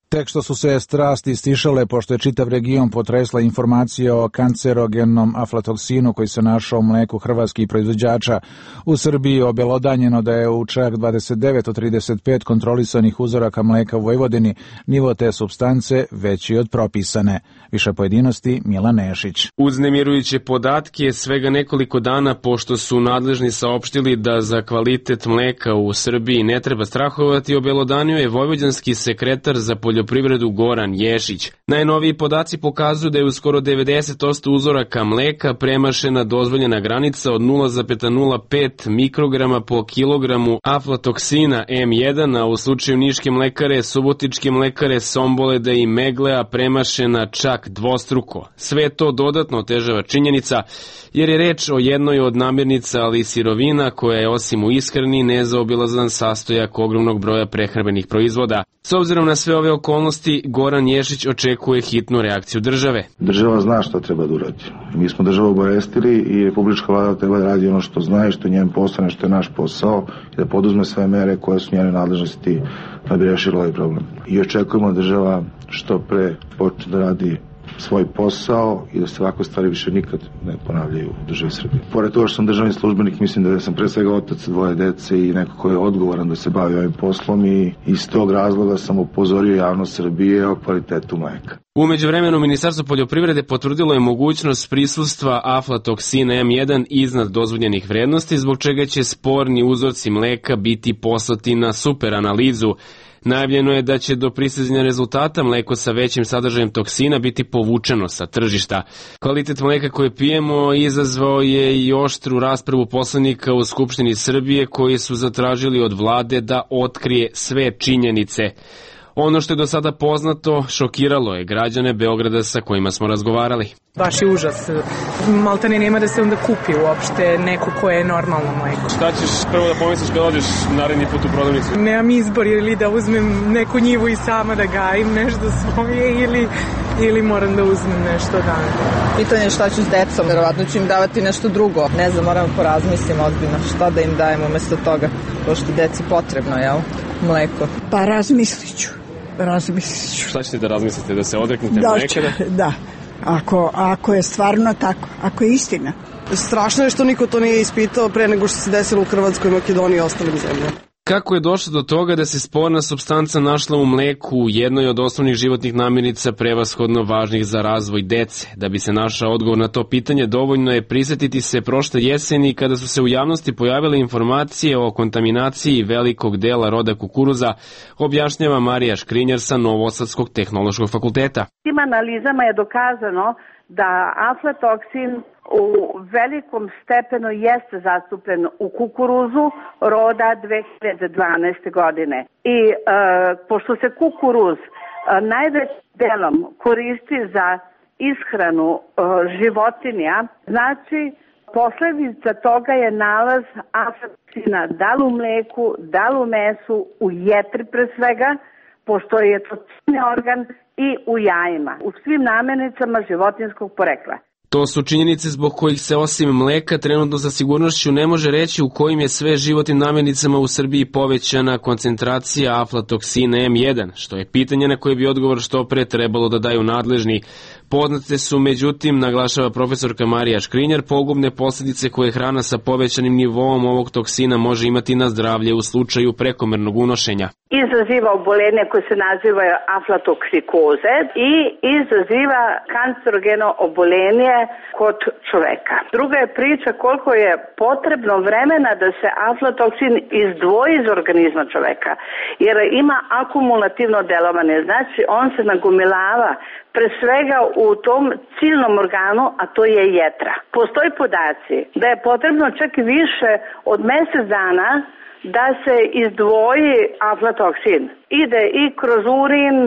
Tek što su se strasti stišale, pošto je čitav region potresla informacija o kancerogenom aflatoksinu koji se našao u mleku hrvatskih proizvođača. U Srbiji je obelodanjeno da je u čak dvadeset devet od trideset pet kontrolisanih uzoraka mleka u Vojvodini nivo te supstance veći od propisane. Više pojedinosti Milan Nešić. Uznemirujuće podatke svega nekoliko dana pošto su nadležni saopštili da za kvalitet mleka u Srbiji ne treba strahovati, obelodanio je vojvođanski sekretar za poljoprivredu poljoprivredu Goran Ješić. Najnoviji podaci pokazuju da je u skoro devedeset posto uzoraka mleka premašena dozvoljena granica od nula zarez nula pet mikrograma po kilogramu aflatoksina em jedan, a u slučaju Niške mlekare, Subotičke mlekare, Somboleda i Meglea premašena čak dvostruko. Sve to dodatno otežava činjenica jer je reč o jednoj od namirnica, ali i sirovina koja je osim u ishrani nezaobilazan sastojak ogromnog broja prehrambenih proizvoda. S obzirom na sve ove okolnosti, Goran Ješić očekuje hitnu reakciju države. Država zna što treba da uradi. Mi smo državu obavestili i republička vlada treba da radi ono što zna i što je njen posao, što je naš posao i da poduzme sve mere koje su njene nadležnosti da bi rešila ovaj problem. I očekujemo da država što pre počne da radi svoj posao i da se ovakve stvari više nikad ne ponavljaju u državi Srbije. Pored toga što sam državni službenik, mislim da sam pre svega otac dvoje dece i neko ko je odgovoran da se bavi ovim poslom i iz tog razloga sam upozorio javnost Srbije o kvalitetu mleka. U međuvremenu Ministarstvo poljoprivrede potvrdilo je mogućnost prisustva aflatoksina em jedan iznad dozvoljenih vrednosti, zbog čega će sporni uzorci mleka biti poslati na superanalizu. Najavljeno je da će do pristizanja rezultata mleko sa većim sadržajem toksina biti povučeno sa tržišta. Kvalitet mleka koje pijemo izazvao je i oštru raspravu poslanika u Skupštini Srbije koji su zatražili od vlade da otkrije sve činjenice. Ono što je do sada poznato šokiralo je građane Beograda sa kojima smo razgovarali. Baš je užas. Maltene nema da se onda kupi uopšte neko koje je normalno mleko. Šta ćeš prvo da pomisliš kad odeš naredni put u prodavnicu? Nemam izbor ili da uzmem neku njivu i sama da gajim nešto svoje ili, ili moram da uzmem nešto da... Pitanje je šta ću s decom, verovatno ću im davati nešto drugo. Ne znam, moram porazmislim ozbiljno šta da im dajem umesto toga, pošto deci potrebno, jel? Mleko. Pa razmislit ću. Razmislit ću. Šta ćete da razmislite, da se odreknete da, mleka? Da, ako, ako je stvarno tako, ako je istina. Strašno je što niko to nije ispitao pre nego što se desilo u Hrvatskoj, Makedoniji i ostalim zemljama. Kako je došlo do toga da se sporna supstanca našla u mleku, jednoj od osnovnih životnih namirnica prevashodno važnih za razvoj dece? Da bi se našao odgovor na to pitanje, dovoljno je prisetiti se prošle jeseni kada su se u javnosti pojavile informacije o kontaminaciji velikog dela roda kukuruza, objašnjava Marija Škrinjar sa Novosadskog tehnološkog fakulteta. Tim analizama je dokazano da aflatoksin u velikom stepenu jeste zastupljen u kukuruzu roda dve hiljade dvanaeste. godine. I e, pošto se kukuruz e, najvećim delom koristi za ishranu e, životinja, znači posledica toga je nalaz aflatoksina da li u mleku, da li u mesu, u jetri pre svega, pošto je to ciljni organ, i u jajima, u svim namirnicama životinjskog porekla. To su činjenice zbog kojih se osim mleka trenutno sa sigurnošću ne može reći u kojim je sve životnim namirnicama u Srbiji povećana koncentracija aflatoksina em jedan, što je pitanje na koje bi odgovor što pre trebalo da daju nadležni. Poznate su, međutim, naglašava profesorka Marija Škrinjar, pogubne posljedice koje hrana sa povećanim nivoom ovog toksina može imati na zdravlje u slučaju prekomernog unošenja. Izaziva obolenje koje se naziva aflatoksikoze i izaziva kancerogeno obolenje kod čoveka. Druga je priča koliko je potrebno vremena da se aflatoksin izdvoji iz organizma čoveka, jer ima akumulativno delovanje, znači on se nagomilava pre svega u tom ciljnom organu, a to je jetra. Postoji podaci da je potrebno čak i više od mesec dana da se izdvoji aflatoksin. Ide i kroz urin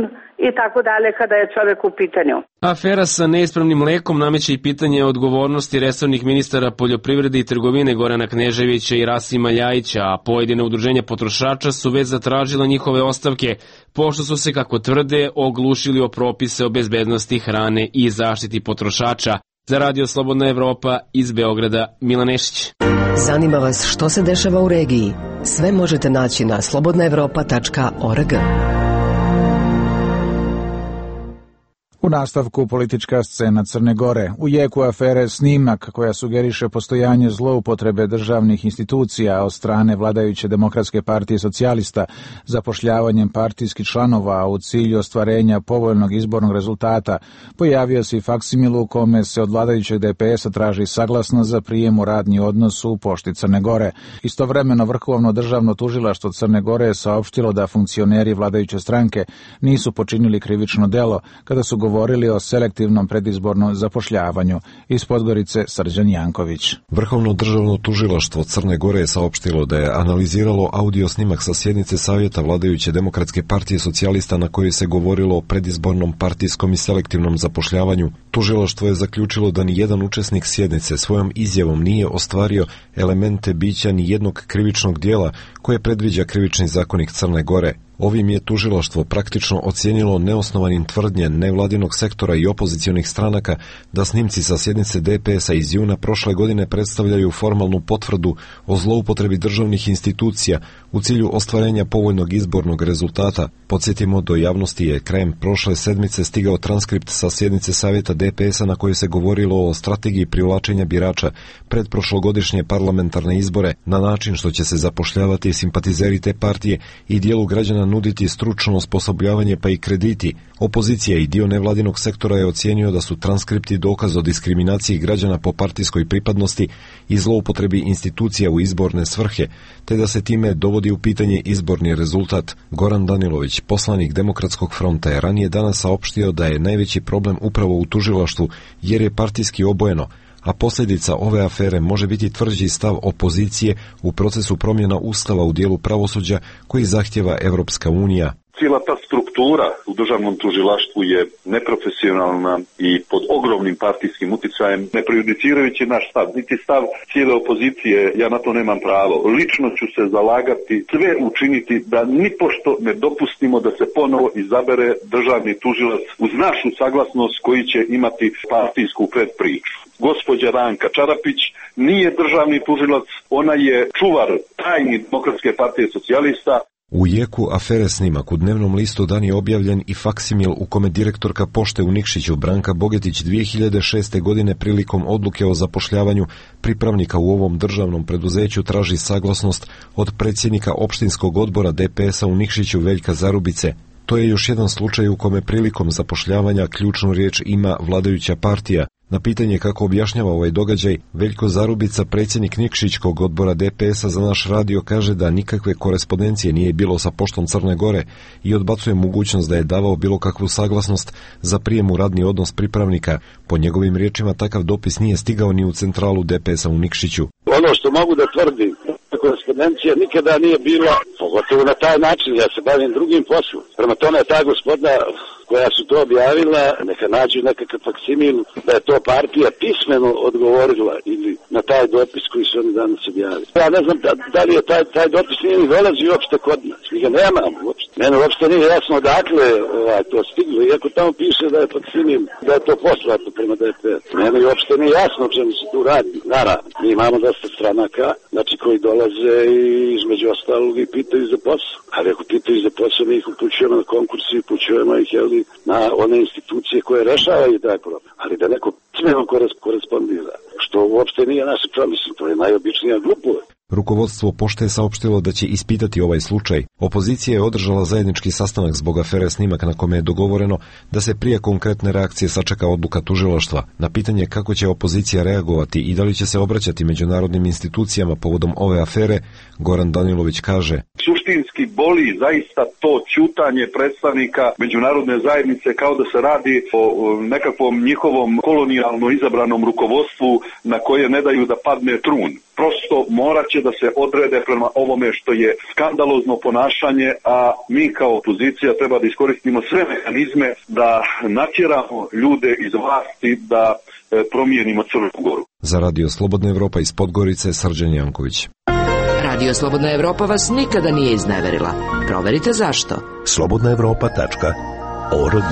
i tako dalje kada je čovjek u pitanju. Afera sa neispravnim mlekom nameće i pitanje odgovornosti resornih ministara poljoprivrede i trgovine Gorana Kneževića i Rasima Ljajića, a pojedine udruženja potrošača su već zatražila njihove ostavke, pošto su se, kako tvrde, oglušili o propise o bezbednosti hrane i zaštiti potrošača. Za Radio Slobodna Evropa iz Beograda, Milan Nešić. Zanima vas što se dešava u regiji? Sve možete naći na slobodna evropa tačka org. U nastavku politička scena Crne Gore. U jeku afere Snimak, koja sugeriše postojanje zloupotrebe državnih institucija od strane vladajuće Demokratske partije socijalista zapošljavanjem partijskih članova u cilju ostvarenja povoljnog izbornog rezultata, pojavio se i faksimil u kome se od vladajućeg D P S-a traži saglasnost za prijem u radni odnos u Pošti Crne Gore. Istovremeno Vrhovno državno tužilaštvo Crne Gore je saopštilo da funkcioneri vladajuće stranke nisu počinili krivično delo kada su govorili o selektivnom predizbornom zapošljavanju. Iz Podgorice Srđan Janković. Vrhovno državno tužilaštvo Crne Gore je saopštilo da je analiziralo audio snimak sa sjednice Savjeta vladajuće Demokratske partije socijalista na kojoj se govorilo o predizbornom partijskom i selektivnom zapošljavanju. Tužilaštvo je zaključilo da ni jedan učesnik sjednice svojom izjavom nije ostvario elemente bića ni jednog krivičnog dijela koje predviđa krivični zakonik Crne Gore. Ovim je tužilaštvo praktično ocijenilo neosnovanim tvrdnje nevladinog sektora i opozicionih stranaka da snimci sa sjednice D P S-a iz juna prošle godine predstavljaju formalnu potvrdu o zloupotrebi državnih institucija u cilju ostvarenja povoljnog izbornog rezultata. Podsjetimo, do javnosti je krajem prošle sedmice stigao transkript sa sjednice Savjeta D P S-a na kojoj se govorilo o strategiji privlačenja birača pred prošlogodišnje parlamentarne izbore na način što će se zapošljavati simpatizeri te partije i dijelu građana nuditi stručno osposobljavanje pa i krediti. Opozicija i dio nevladinog sektora je ocijenio da su transkripti dokaz o diskriminaciji građana po partijskoj pripadnosti i zloupotrebi institucija u izborne svrhe, te da se time dovodi u pitanje izborni rezultat. Goran Danilović, poslanik Demokratskog fronta, je ranije danas saopštio da je najveći problem upravo u tužilaštvu jer je partijski obojeno, a posljedica ove afere može biti tvrđi stav opozicije u procesu promjena ustava u dijelu pravosuđa koji zahtjeva Evropska unija. Cijela ta struktura u državnom tužilaštvu je neprofesionalna i pod ogromnim partijskim uticajem, ne prejudicirajući naš stav, niti stav cijele opozicije, ja na to nemam pravo. Lično ću se zalagati, sve učiniti da nipošto ne dopustimo da se ponovo izabere državni tužilac uz našu saglasnost koji će imati partijsku predpriču. Gospođa Ranka Čarapić nije državni tužilac, ona je čuvar tajni Demokratske partije socijalista. U jeku afere Snimak u dnevnom listu dan je objavljen i faksimil u kome direktorka pošte u Nikšiću Branka Bogetić dvije hiljade šeste. godine prilikom odluke o zapošljavanju pripravnika u ovom državnom preduzeću traži saglasnost od predsjednika opštinskog odbora D P S-a u Nikšiću Veljka Zarubice. To je još jedan slučaj u kome prilikom zapošljavanja ključnu riječ ima vladajuća partija. Na pitanje kako objašnjava ovaj događaj, Veljko Zarubica, predsjednik Nikšićkog odbora D P S-a za naš radio, kaže da nikakve korespondencije nije bilo sa poštom Crne Gore i odbacuje mogućnost da je davao bilo kakvu saglasnost za prijem u radni odnos pripravnika. Po njegovim riječima takav dopis nije stigao ni u centralu D P S-a u Nikšiću. Ono što mogu da tvrdim, korespondencija nikada nije bila, pogotovo na taj način, ja se bavim drugim poslom. Prema tome ta gospoda koja su to objavila, neka nađu nekakav faksimil da je to partija pismeno odgovorila ili na taj dopis koji su oni danas objavili. Ja ne znam da, da li je taj, taj dopis nije ni dolazi uopšte kod nas. Mi ga nemamo uopšte. Mene uopšte nije jasno odakle ovaj, to stiglo, iako tamo piše da je faksimil, da je to poslato prema D P S. Mene uopšte nije jasno o čemu se tu radi. Naravno, mi imamo dosta stranaka, znači koji dolaze i između ostalog i pitaju za posao. Ali ako pitaju za posao, mi ih upućujemo na konkursi, upućujemo ih, jel, na one institucije koje rešavaju taj problem. Ali da neko smjeno korespondira, što uopšte nije naše promisli, to je najobičnija glupost. Rukovodstvo pošte je saopštilo da će ispitati ovaj slučaj. Opozicija je održala zajednički sastanak zbog afere Snimak na kome je dogovoreno da se prije konkretne reakcije sačeka odluka tužilaštva. Na pitanje kako će opozicija reagovati i da li će se obraćati međunarodnim institucijama povodom ove afere, Goran Danilović kaže: Suštinski boli zaista to ćutanje predstavnika međunarodne zajednice kao da se radi o nekakvom njihovom kolonijalno izabranom rukovodstvu na koje ne daju da padne trun. Prosto morat će da se odrede prema ovome što je skandalozno ponašanje, a mi kao opozicija treba da iskoristimo sve mehanizme da natjeramo ljude iz vlasti da promijenimo Crnu Goru. Za Radio Slobodna Evropa iz Podgorice, Srđan Janković. Radio Slobodna Evropa vas nikada nije izneverila. Proverite zašto. slobodna evropa tačka org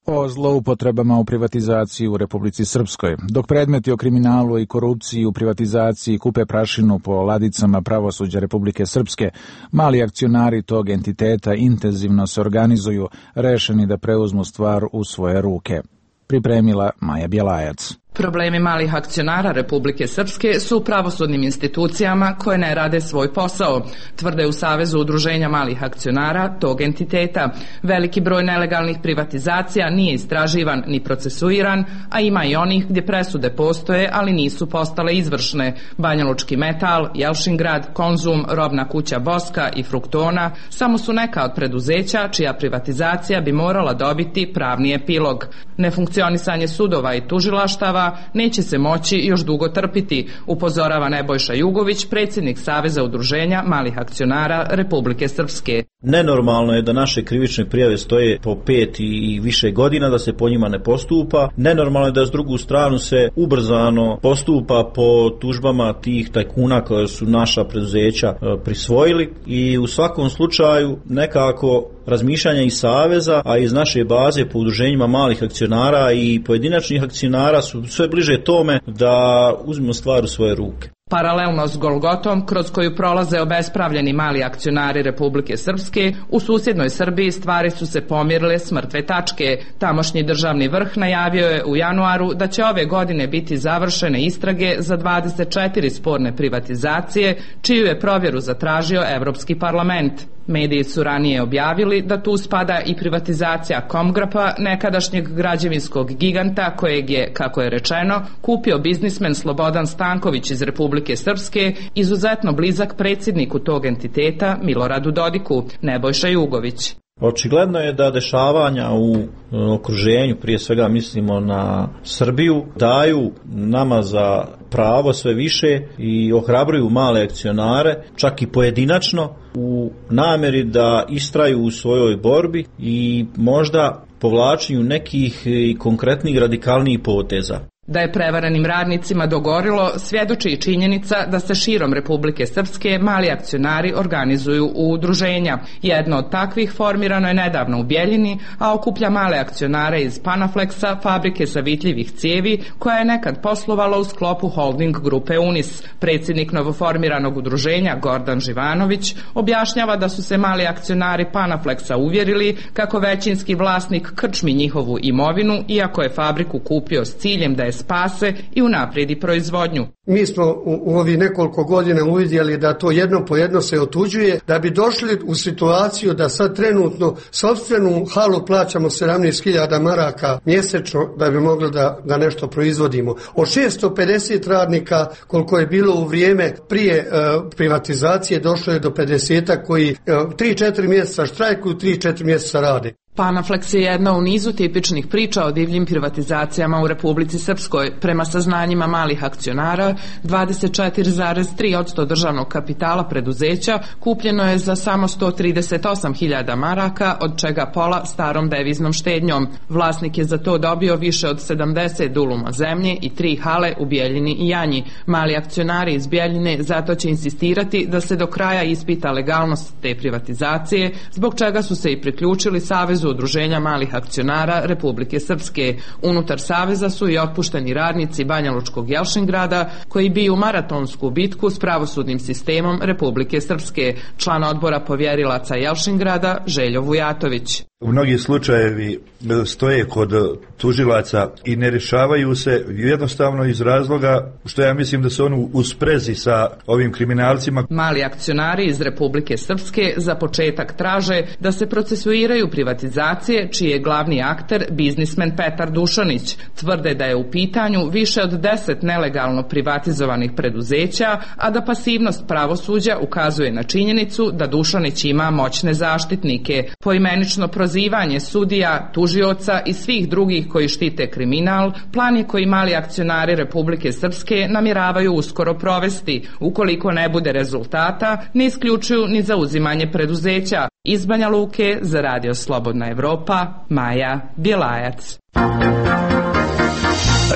O zloupotrebama u privatizaciji u Republici Srpskoj. Dok predmeti o kriminalu i korupciji u privatizaciji kupe prašinu po ladicama pravosuđa Republike Srpske, mali akcionari tog entiteta intenzivno se organizuju, rešeni da preuzmu stvar u svoje ruke. Pripremila Maja Bjelajac. Problemi malih akcionara Republike Srpske su u pravosudnim institucijama koje ne rade svoj posao, tvrde u Savezu udruženja malih akcionara tog entiteta. Veliki broj nelegalnih privatizacija nije istraživan ni procesuiran, a ima i onih gdje presude postoje, ali nisu postale izvršne. Banjalučki metal, Jelšingrad, Konzum, robna kuća Boska i Fruktona samo su neka od preduzeća čija privatizacija bi morala dobiti pravni epilog. Nefunkcionisanje sudova i tužilaštava neće se moći još dugo trpiti, upozorava Nebojša Jugović, predsjednik Saveza udruženja malih akcionara Republike Srpske. Nenormalno je da naše krivične prijave stoje po pet i više godina, da se po njima ne postupa. Nenormalno je da s drugu stranu se ubrzano postupa po tužbama tih tajkuna koje su naša preduzeća prisvojili i u svakom slučaju nekako razmišljanja iz Saveza, a iz naše baze po udruženjima malih akcionara i pojedinačnih akcionara su sve bliže tome da uzmemo stvar u svoje ruke. Paralelno s Golgotom, kroz koju prolaze obespravljeni mali akcionari Republike Srpske, u susjednoj Srbiji stvari su se pomirile s mrtve tačke. Tamošnji državni vrh najavio je u januaru da će ove godine biti završene istrage za dvadeset četiri sporne privatizacije, čiju je provjeru zatražio Evropski parlament. Mediji su ranije objavili da tu spada i privatizacija Komgrapa, nekadašnjeg građevinskog giganta kojeg je, kako je rečeno, kupio biznismen Slobodan Stanković iz Republike Srpske, izuzetno blizak predsjedniku tog entiteta Miloradu Dodiku, Nebojša Jugović. Očigledno je da dešavanja u okruženju, prije svega mislimo na Srbiju, daju nama za pravo sve više i ohrabruju male akcionare, čak i pojedinačno, u namjeri da istraju u svojoj borbi i možda povlačenju nekih konkretnih radikalnijih poteza. Da je prevarenim radnicima dogorilo, svjedoči i činjenica da se širom Republike Srpske mali akcionari organizuju u udruženja. Jedno od takvih formirano je nedavno u Bjeljini, a okuplja male akcionare iz Panaflexa, fabrike savitljivih cijevi, koja je nekad poslovala u sklopu holding grupe Unis. Predsjednik novoformiranog udruženja Gordan Živanović objašnjava da su se mali akcionari Panaflexa uvjerili kako većinski vlasnik krčmi njihovu imovinu, iako je fabriku kupio s ciljem da je spase i unaprijedi proizvodnju. Mi smo u, u ovih nekoliko godina uvidjeli da to jedno po jedno se otuđuje, da bi došli u situaciju da sad trenutno sopstvenu halu plaćamo sedamnaest hiljada maraka mjesečno da bi mogli da, da nešto proizvodimo. Od šesto pedeset radnika koliko je bilo u vrijeme prije uh, privatizacije došlo je do pedeset koji tri do četiri mjeseca štrajkuju, tri do četiri mjeseca rade. Panaflex je jedna u nizu tipičnih priča o divljim privatizacijama u Republici Srpskoj. Prema saznanjima malih akcionara, dvadeset četiri zarez tri posto državnog kapitala preduzeća kupljeno je za samo sto trideset osam hiljada maraka, od čega pola starom deviznom štednjom. Vlasnik je za to dobio više od sedamdeset duluma zemlje i tri hale u Bjeljini i Janji. Mali akcionari iz Bjeljine zato će insistirati da se do kraja ispita legalnost te privatizacije, zbog čega su se i priključili Savezu udruženja malih akcionara Republike Srpske. Unutar Saveza su i otpušteni radnici Banjalučkog Jelšingrada koji biju maratonsku bitku s pravosudnim sistemom Republike Srpske. Član odbora povjerilaca Jelšingrada Željo Vujatović. Mnogi slučajevi stoje kod tužilaca i ne rješavaju se jednostavno iz razloga što ja mislim da su oni u sprezi sa ovim kriminalcima. Mali akcionari iz Republike Srpske za početak traže da se procesuiraju privatizacije čiji je glavni akter biznismen Petar Dušanić. Tvrde da je u pitanju više od deset nelegalno privatizovanih preduzeća, a da pasivnost pravosuđa ukazuje na činjenicu da Dušanić ima moćne zaštitnike. Poimenično prozivanje sudija, tužioca i svih drugih koji štite kriminal, plan je koji mali akcionari Republike Srpske namjeravaju uskoro provesti. Ukoliko ne bude rezultata, ne isključuju ni zauzimanje preduzeća. Iz Banja Luke za Radio Slobodna Evropa, Maja Bjelajac.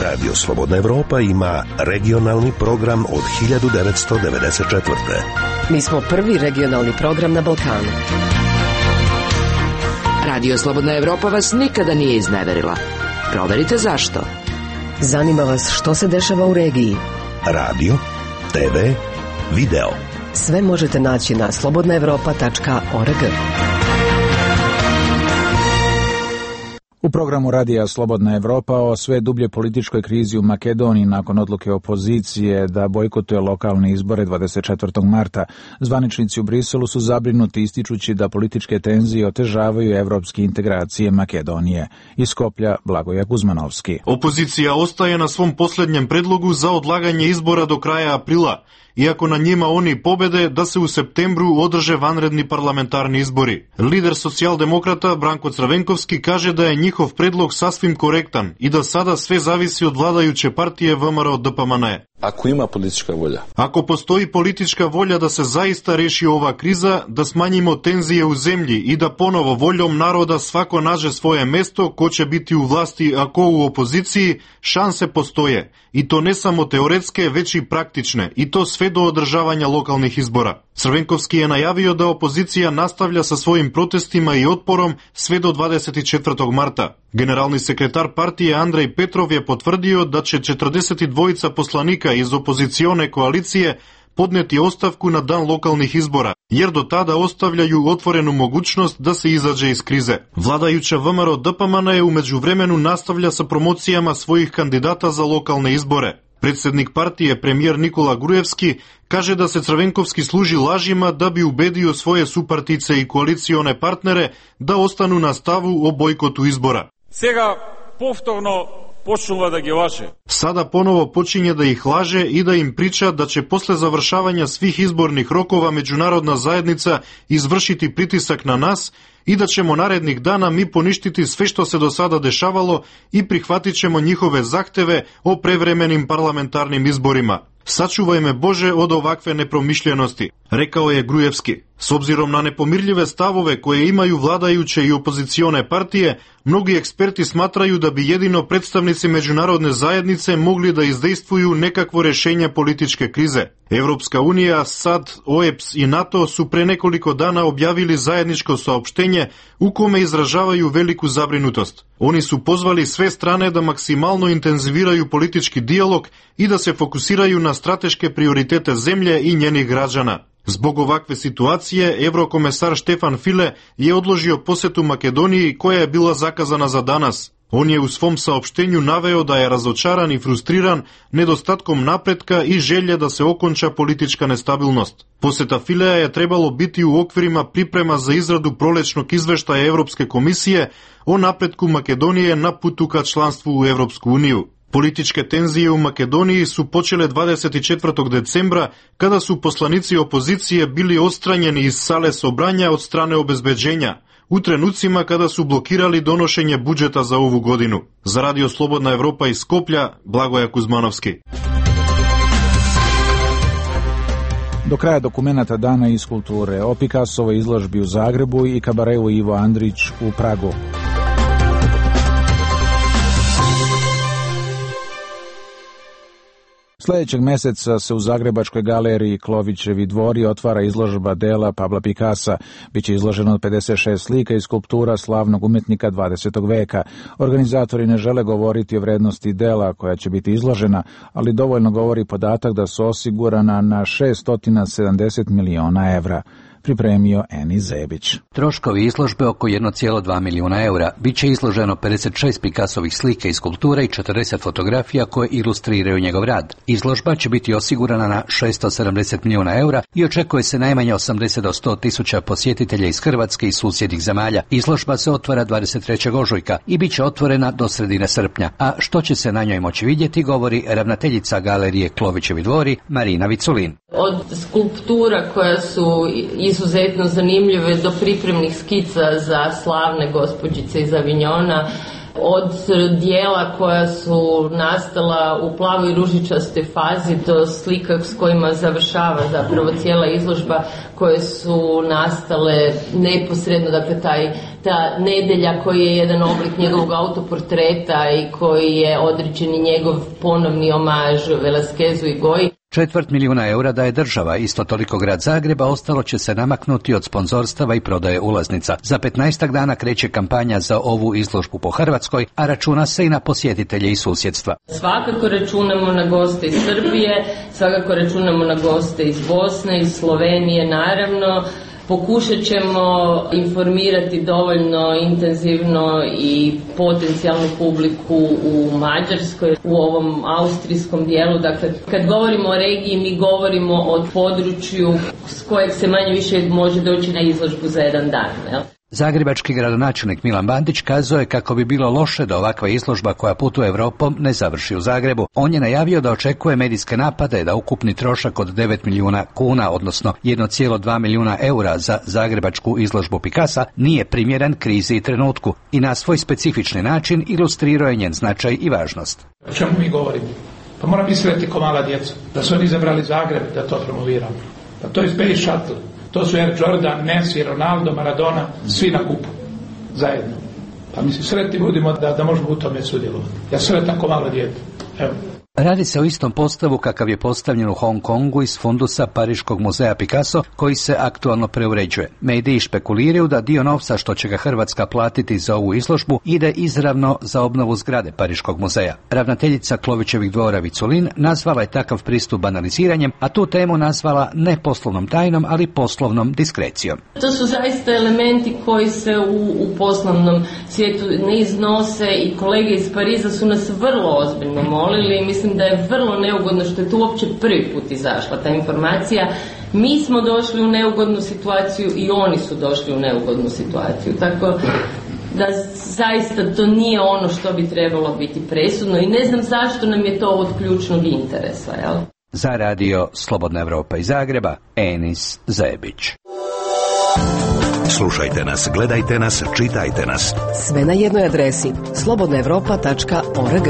Radio Slobodna Evropa ima regionalni program od hiljadu devetsto devedeset četvrte. Mi smo prvi regionalni program na Balkanu. Radio Slobodna Evropa vas nikada nije izneverila. Proverite zašto. Zanima vas što se dešava u regiji. Radio, te ve, video. Sve možete naći na slobodna evropa tačka org. U programu radija Slobodna Evropa o sve dublje političkoj krizi u Makedoniji nakon odluke opozicije da bojkotuje lokalne izbore dvadeset četvrtog marta. Zvaničnici u Briselu su zabrinuti ističući da političke tenzije otežavaju evropske integracije Makedonije. Iz Skoplja Blagoje Kuzmanovski. Opozicija ostaje na svom posljednjem predlogu za odlaganje izbora do kraja aprila, iako na njima oni pobede da se u septembru održe vanredni parlamentarni izbori. Lider socijaldemokrata Branko Crvenkovski kaže da je njihov predlog sasvim korektan i da sada sve zavisi od vladajuće partije V M R O D P M N. Ako ima politička volja. Ako postoji politička volja da se zaista reši ova kriza, da smanjimo tenzije u zemlji i da ponovo voljom naroda svako nađe svoje mesto, ko će biti u vlasti, a ko u opoziciji, šanse postoje. I to ne samo teoretske, već i praktične. I to sve do održavanja lokalnih izbora. Crvenkovski je najavio da opozicija nastavlja sa svojim protestima i otporom sve do dvadeset četvrtog marta. Generalni sekretar partije Andrej Petrov je potvrdio da će četrdeset dva poslanika iz opozicione koalicije podneti ostavku na dan lokalnih izbora, jer do tada ostavljaju otvorenu mogućnost da se izađe iz krize. Vladajuća V M R O D P M N je u međuvremenu nastavlja sa promocijama svojih kandidata za lokalne izbore. Predsjednik partije, premijer Nikola Grujevski, kaže da se Crvenkovski služi lažima da bi ubedio svoje supartice i koalicione partnere da ostanu na stavu o bojkotu izbora. Сега повторно počnula da ги laže. Sada ponovo počinje da ih laže i da im priča da će posle završavanja svih izbornih rokova međunarodna zajednica izvršiti pritisak na nas i da ćemo narednih dana mi poništiti sve što se do sada dešavalo i prihvatit ćemo njihove zahteve o prevremenim parlamentarnim izborima. Sačuvaj me Bože od ovakve nepromišljenosti, rekao je Grujevski. S obzirom na nepomirljive stavove koje imaju vladajuće i opozicione partije, mnogi eksperti smatraju da bi jedino predstavnici međunarodne zajednice mogli da izdejstvuju nekakvo rešenje političke krize. Evropska unija, S A D, O E B S i NATO su pre nekoliko dana objavili zajedničko saopštenje u kome izražavaju veliku zabrinutost. Oni su pozvali sve strane da maksimalno intenziviraju politički dijalog i da se fokusiraju na strateške prioritete zemlje i njenih građana. Zbog ovakve situacije, evrokomesar Štefan File je odložio posetu Makedoniji koja je bila zakazana za danas. On je u svom saopštenju naveo da je razočaran i frustriran nedostatkom napretka i želje da se okonča politička nestabilnost. Poseta Filea je trebalo biti u okvirima priprema za izradu prolećnog izveštaja Evropske komisije o napretku Makedonije na putu ka članstvu u Evropsku uniju. Političke tenzije u Makedoniji su počele dvadeset četvrtog decembra kada su poslanici opozicije bili odstranjeni iz sale sobranja od strane obezbeđenja, u trenucima kada su blokirali donošenje budžeta za ovu godinu. Za Radio Slobodna Evropa iz Skoplja, Blagoje Kuzmanovski. Do kraja dokumenata Dana iz kulture o Picassovoj izložbi u Zagrebu i kabareu Ivo Andrić u Pragu. Sljedećeg meseca se u Zagrebačkoj galeriji Klovićevi dvori otvara izložba dela Pabla Picassa. Biće izloženo pedeset šest slika i skulptura slavnog umetnika dvadesetog veka. Organizatori ne žele govoriti o vrednosti dela koja će biti izložena, ali dovoljno govori podatak da su osigurana na šesto sedamdeset miliona evra. Pripremio Eni Zebić. Troškovi izložbe oko jedan zarez dva milijuna eura. Biće izloženo pedeset šest Picassovih slika i skulptura i četrdeset fotografija koje ilustriraju njegov rad. Izložba će biti osigurana na šesto sedamdeset milijuna eura i očekuje se najmanje osamdeset do sto tisuća posjetitelja iz Hrvatske i susjednih zemalja. Izložba se otvara dvadeset trećeg ožujka i bit će otvorena do sredine srpnja. A što će se na njoj moći vidjeti, govori ravnateljica galerije Klovićevi dvori Marina Viculin. Od skulptura koja su izuzetno zanimljive do pripremnih skica za slavne gospođice iz Avignona, od dijela koja su nastala u plavoj ružičastoj fazi do slika s kojima završava zapravo cijela izložba, koje su nastale neposredno, dakle taj, ta nedelja koji je jedan oblik njegovog autoportreta i koji je određeni njegov ponovni omaž Velasquezu i Goji. Četvrt milijuna eura daje država, isto toliko grad Zagreba, ostalo će se namaknuti od sponzorstava i prodaje ulaznica. Za petnaestak dana kreće kampanja za ovu izložbu po Hrvatskoj, a računa se i na posjetitelje iz susjedstva. Svakako računamo na goste iz Srbije, svakako računamo na goste iz Bosne, iz Slovenije, naravno. Pokušat ćemo informirati dovoljno intenzivno i potencijalnu publiku u Mađarskoj, u ovom austrijskom dijelu. Dakle, kad govorimo o regiji, mi govorimo o području s kojeg se manje više može doći na izložbu za jedan dan. Jel? Zagrebački gradonačelnik Milan Bandić kazao je kako bi bilo loše da ovakva izložba koja putuje Evropom ne završi u Zagrebu. On je najavio da očekuje medijske napade, da ukupni trošak od devet milijuna kuna, odnosno jedan zarez dva milijuna eura za zagrebačku izložbu Picassa nije primjeren krizi i trenutku i na svoj specifični način ilustrirao je njen značaj i važnost. O čemu mi govorimo? Pa moram misliti ko mala djeca, da su oni izabrali Zagreb da to promoviramo. Pa to je Space Shuttle. To su Air Jordan, Messi, Ronaldo, Maradona, svi na kupu, zajedno. Pa mislim, sretni budimo da, da možemo u tome sudjelovati. Ja sretan ko malo dijete. Evo. Radi se o istom postavu kakav je postavljen u Hong Kongu iz fundusa Pariškog muzeja Picasso, koji se aktualno preuređuje. Mediji špekuliraju da dio novca što će ga Hrvatska platiti za ovu izložbu ide izravno za obnovu zgrade Pariškog muzeja. Ravnateljica Klovićevih dvora Viculin nazvala je takav pristup banaliziranjem, a tu temu nazvala ne poslovnom tajnom, ali poslovnom diskrecijom. To su zaista elementi koji se u, u poslovnom svijetu ne iznose i kolege iz Pariza su nas vrlo ozbiljno molili. Mislim da je vrlo neugodno što je tu uopće prvi put izašla ta informacija. Mi smo došli u neugodnu situaciju i oni su došli u neugodnu situaciju. Tako da zaista to nije ono što bi trebalo biti presudno i ne znam zašto nam je to od ključnog interesa. Jel? Za radio Slobodna Evropa iz Zagreba, Enis Zebić. Slušajte nas, gledajte nas, čitajte nas. Sve na jednoj adresi slobodna evropa tačka org.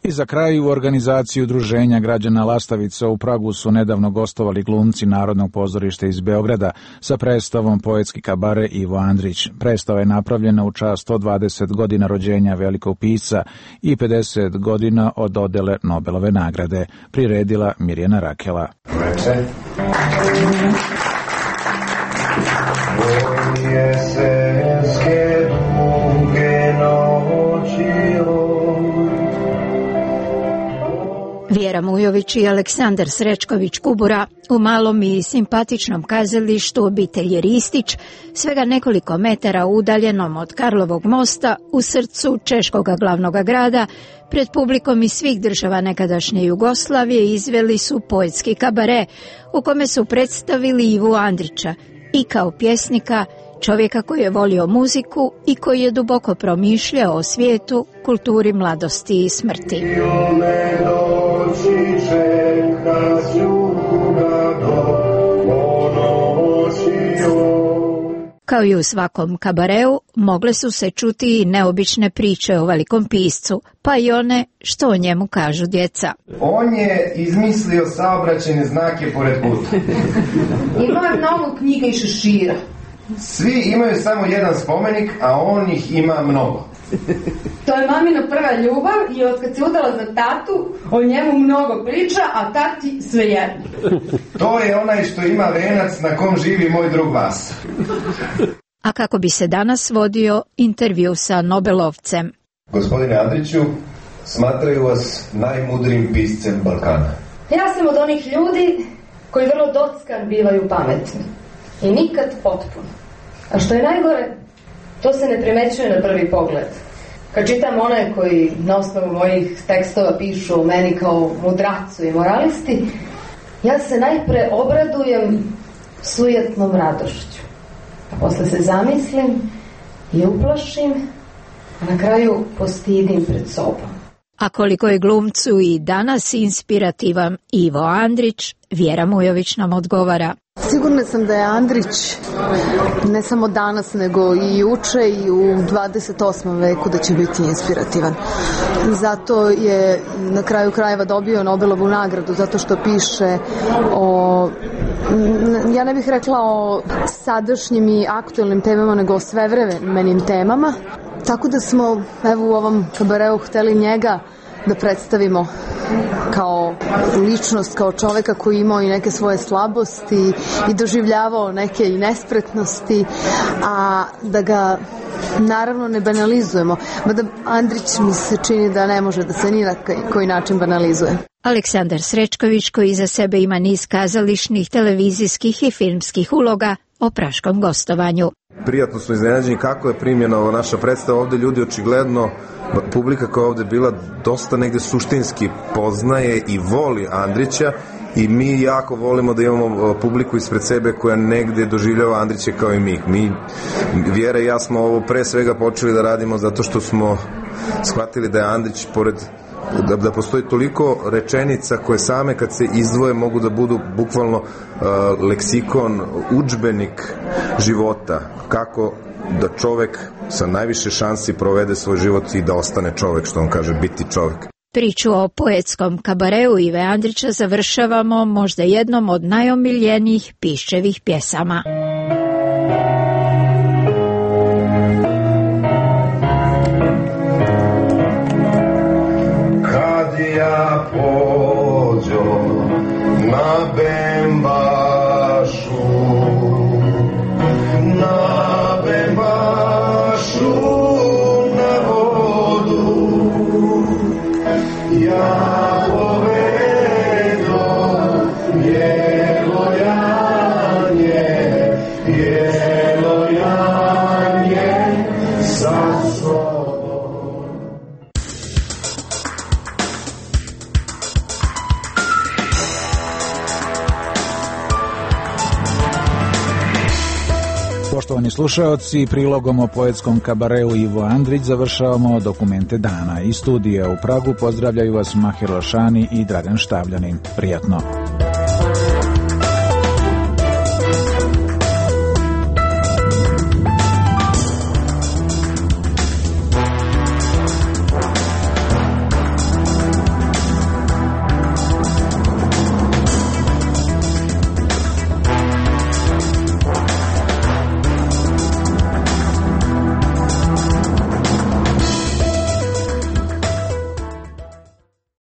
I za kraj, u organizaciji Udruženja građana Lastavica u Pragu su nedavno gostovali glumci Narodnog pozorišta iz Beograda sa predstavom Poetski kabare Ivo Andrić. Predstava je napravljena u čast sto dvadeset godina rođenja velikog pisca i pedeset godina od dodele Nobelove nagrade, priredila Mirjana Rakela. Veče. Jesenske duge noći. Vjera Mujović i Aleksandar Srečković Kubura u malom i simpatičnom kazalištu obitelji Ristić, svega nekoliko metara udaljenom od Karlovog mosta u srcu češkog glavnog grada, pred publikom iz svih država nekadašnje Jugoslavije izveli su poetski kabare u kome su predstavili Ivu Andrića i kao pjesnika, čovjeka koji je volio muziku i koji je duboko promišljao o svijetu, kulturi mladosti i smrti. Kao i u svakom kabareu, mogle su se čuti i neobične priče o velikom piscu, pa i one što o njemu kažu djeca. On je izmislio saobraćajne znake pored puta. Ima mnogo knjiga i šešira. Svi imaju samo jedan spomenik, a on ih ima mnogo. To je mamina prva ljubav i od kad se udala za tatu, o njemu mnogo priča, a tati svejedno. To je onaj što ima venac na kom živi moj drug Vasa. A kako bi se danas vodio intervju sa Nobelovcem? Gospodine Andriću, smatraju vas najmudrijim piscem Balkana. Ja sam od onih ljudi koji vrlo dockan bivaju pametni i nikad potpuno. A što je najgore, to se ne primećuje na prvi pogled. Kad čitam one koji na osnovu mojih tekstova pišu o meni kao mudracu i moralisti, ja se najpre obradujem sujetnom radošću. A posle se zamislim i uplašim, a na kraju postidim pred sobom. A koliko je glumcu i danas inspirativan Ivo Andrić, Vjera Mujović nam odgovara. Sigurna sam da je Andrić ne samo danas nego i juče i u dvadeset osmom veku da će biti inspirativan. Zato je na kraju krajeva dobio Nobelovu nagradu, zato što piše o, ja ne bih rekla o sadašnjim i aktuelnim temama, nego o svevremenim temama. Tako da smo evo u ovom kabareu hteli njega da predstavimo kao ličnost, kao čoveka koji imao i neke svoje slabosti i doživljavao neke i nespretnosti, a da ga naravno ne banalizujemo, mada Andrić mi se čini da ne može da se ni na koji način banalizuje. Aleksandar Srećković, koji iza sebe ima niz kazališnih, televizijskih i filmskih uloga, o praškom gostovanju. Prijatno smo iznenađeni kako je primljena ova naša predstava. Ovde ljudi očigledno, publika koja je ovde bila, dosta negde suštinski poznaje i voli Andrića, i mi jako volimo da imamo publiku ispred sebe koja negde doživljava Andrića kao i mi. Mi, Vjera i ja smo ovo pre svega počeli da radimo zato što smo shvatili da je Andrić, pored Da, da postoji toliko rečenica koje same kad se izdvoje mogu da budu bukvalno uh, leksikon, udžbenik života, kako da čovek sa najviše šansi provede svoj život i da ostane čovek, što on kaže, biti čovek. Priču o poetskom kabareu Ive Andrića završavamo možda jednom od najomiljenijih Piščevih pjesama. Ja pođo na Bembašu, na Bembašu na vodu, ja povedo bijelo janje, bijelo janje sa sobom. Poštovani slušaoci, prilogom o poetskom kabareu Ivo Andrić završavamo dokumente dana. Iz studija u Pragu pozdravljaju vas Mahir Lašani i Dragan Štavljanin. Prijatno.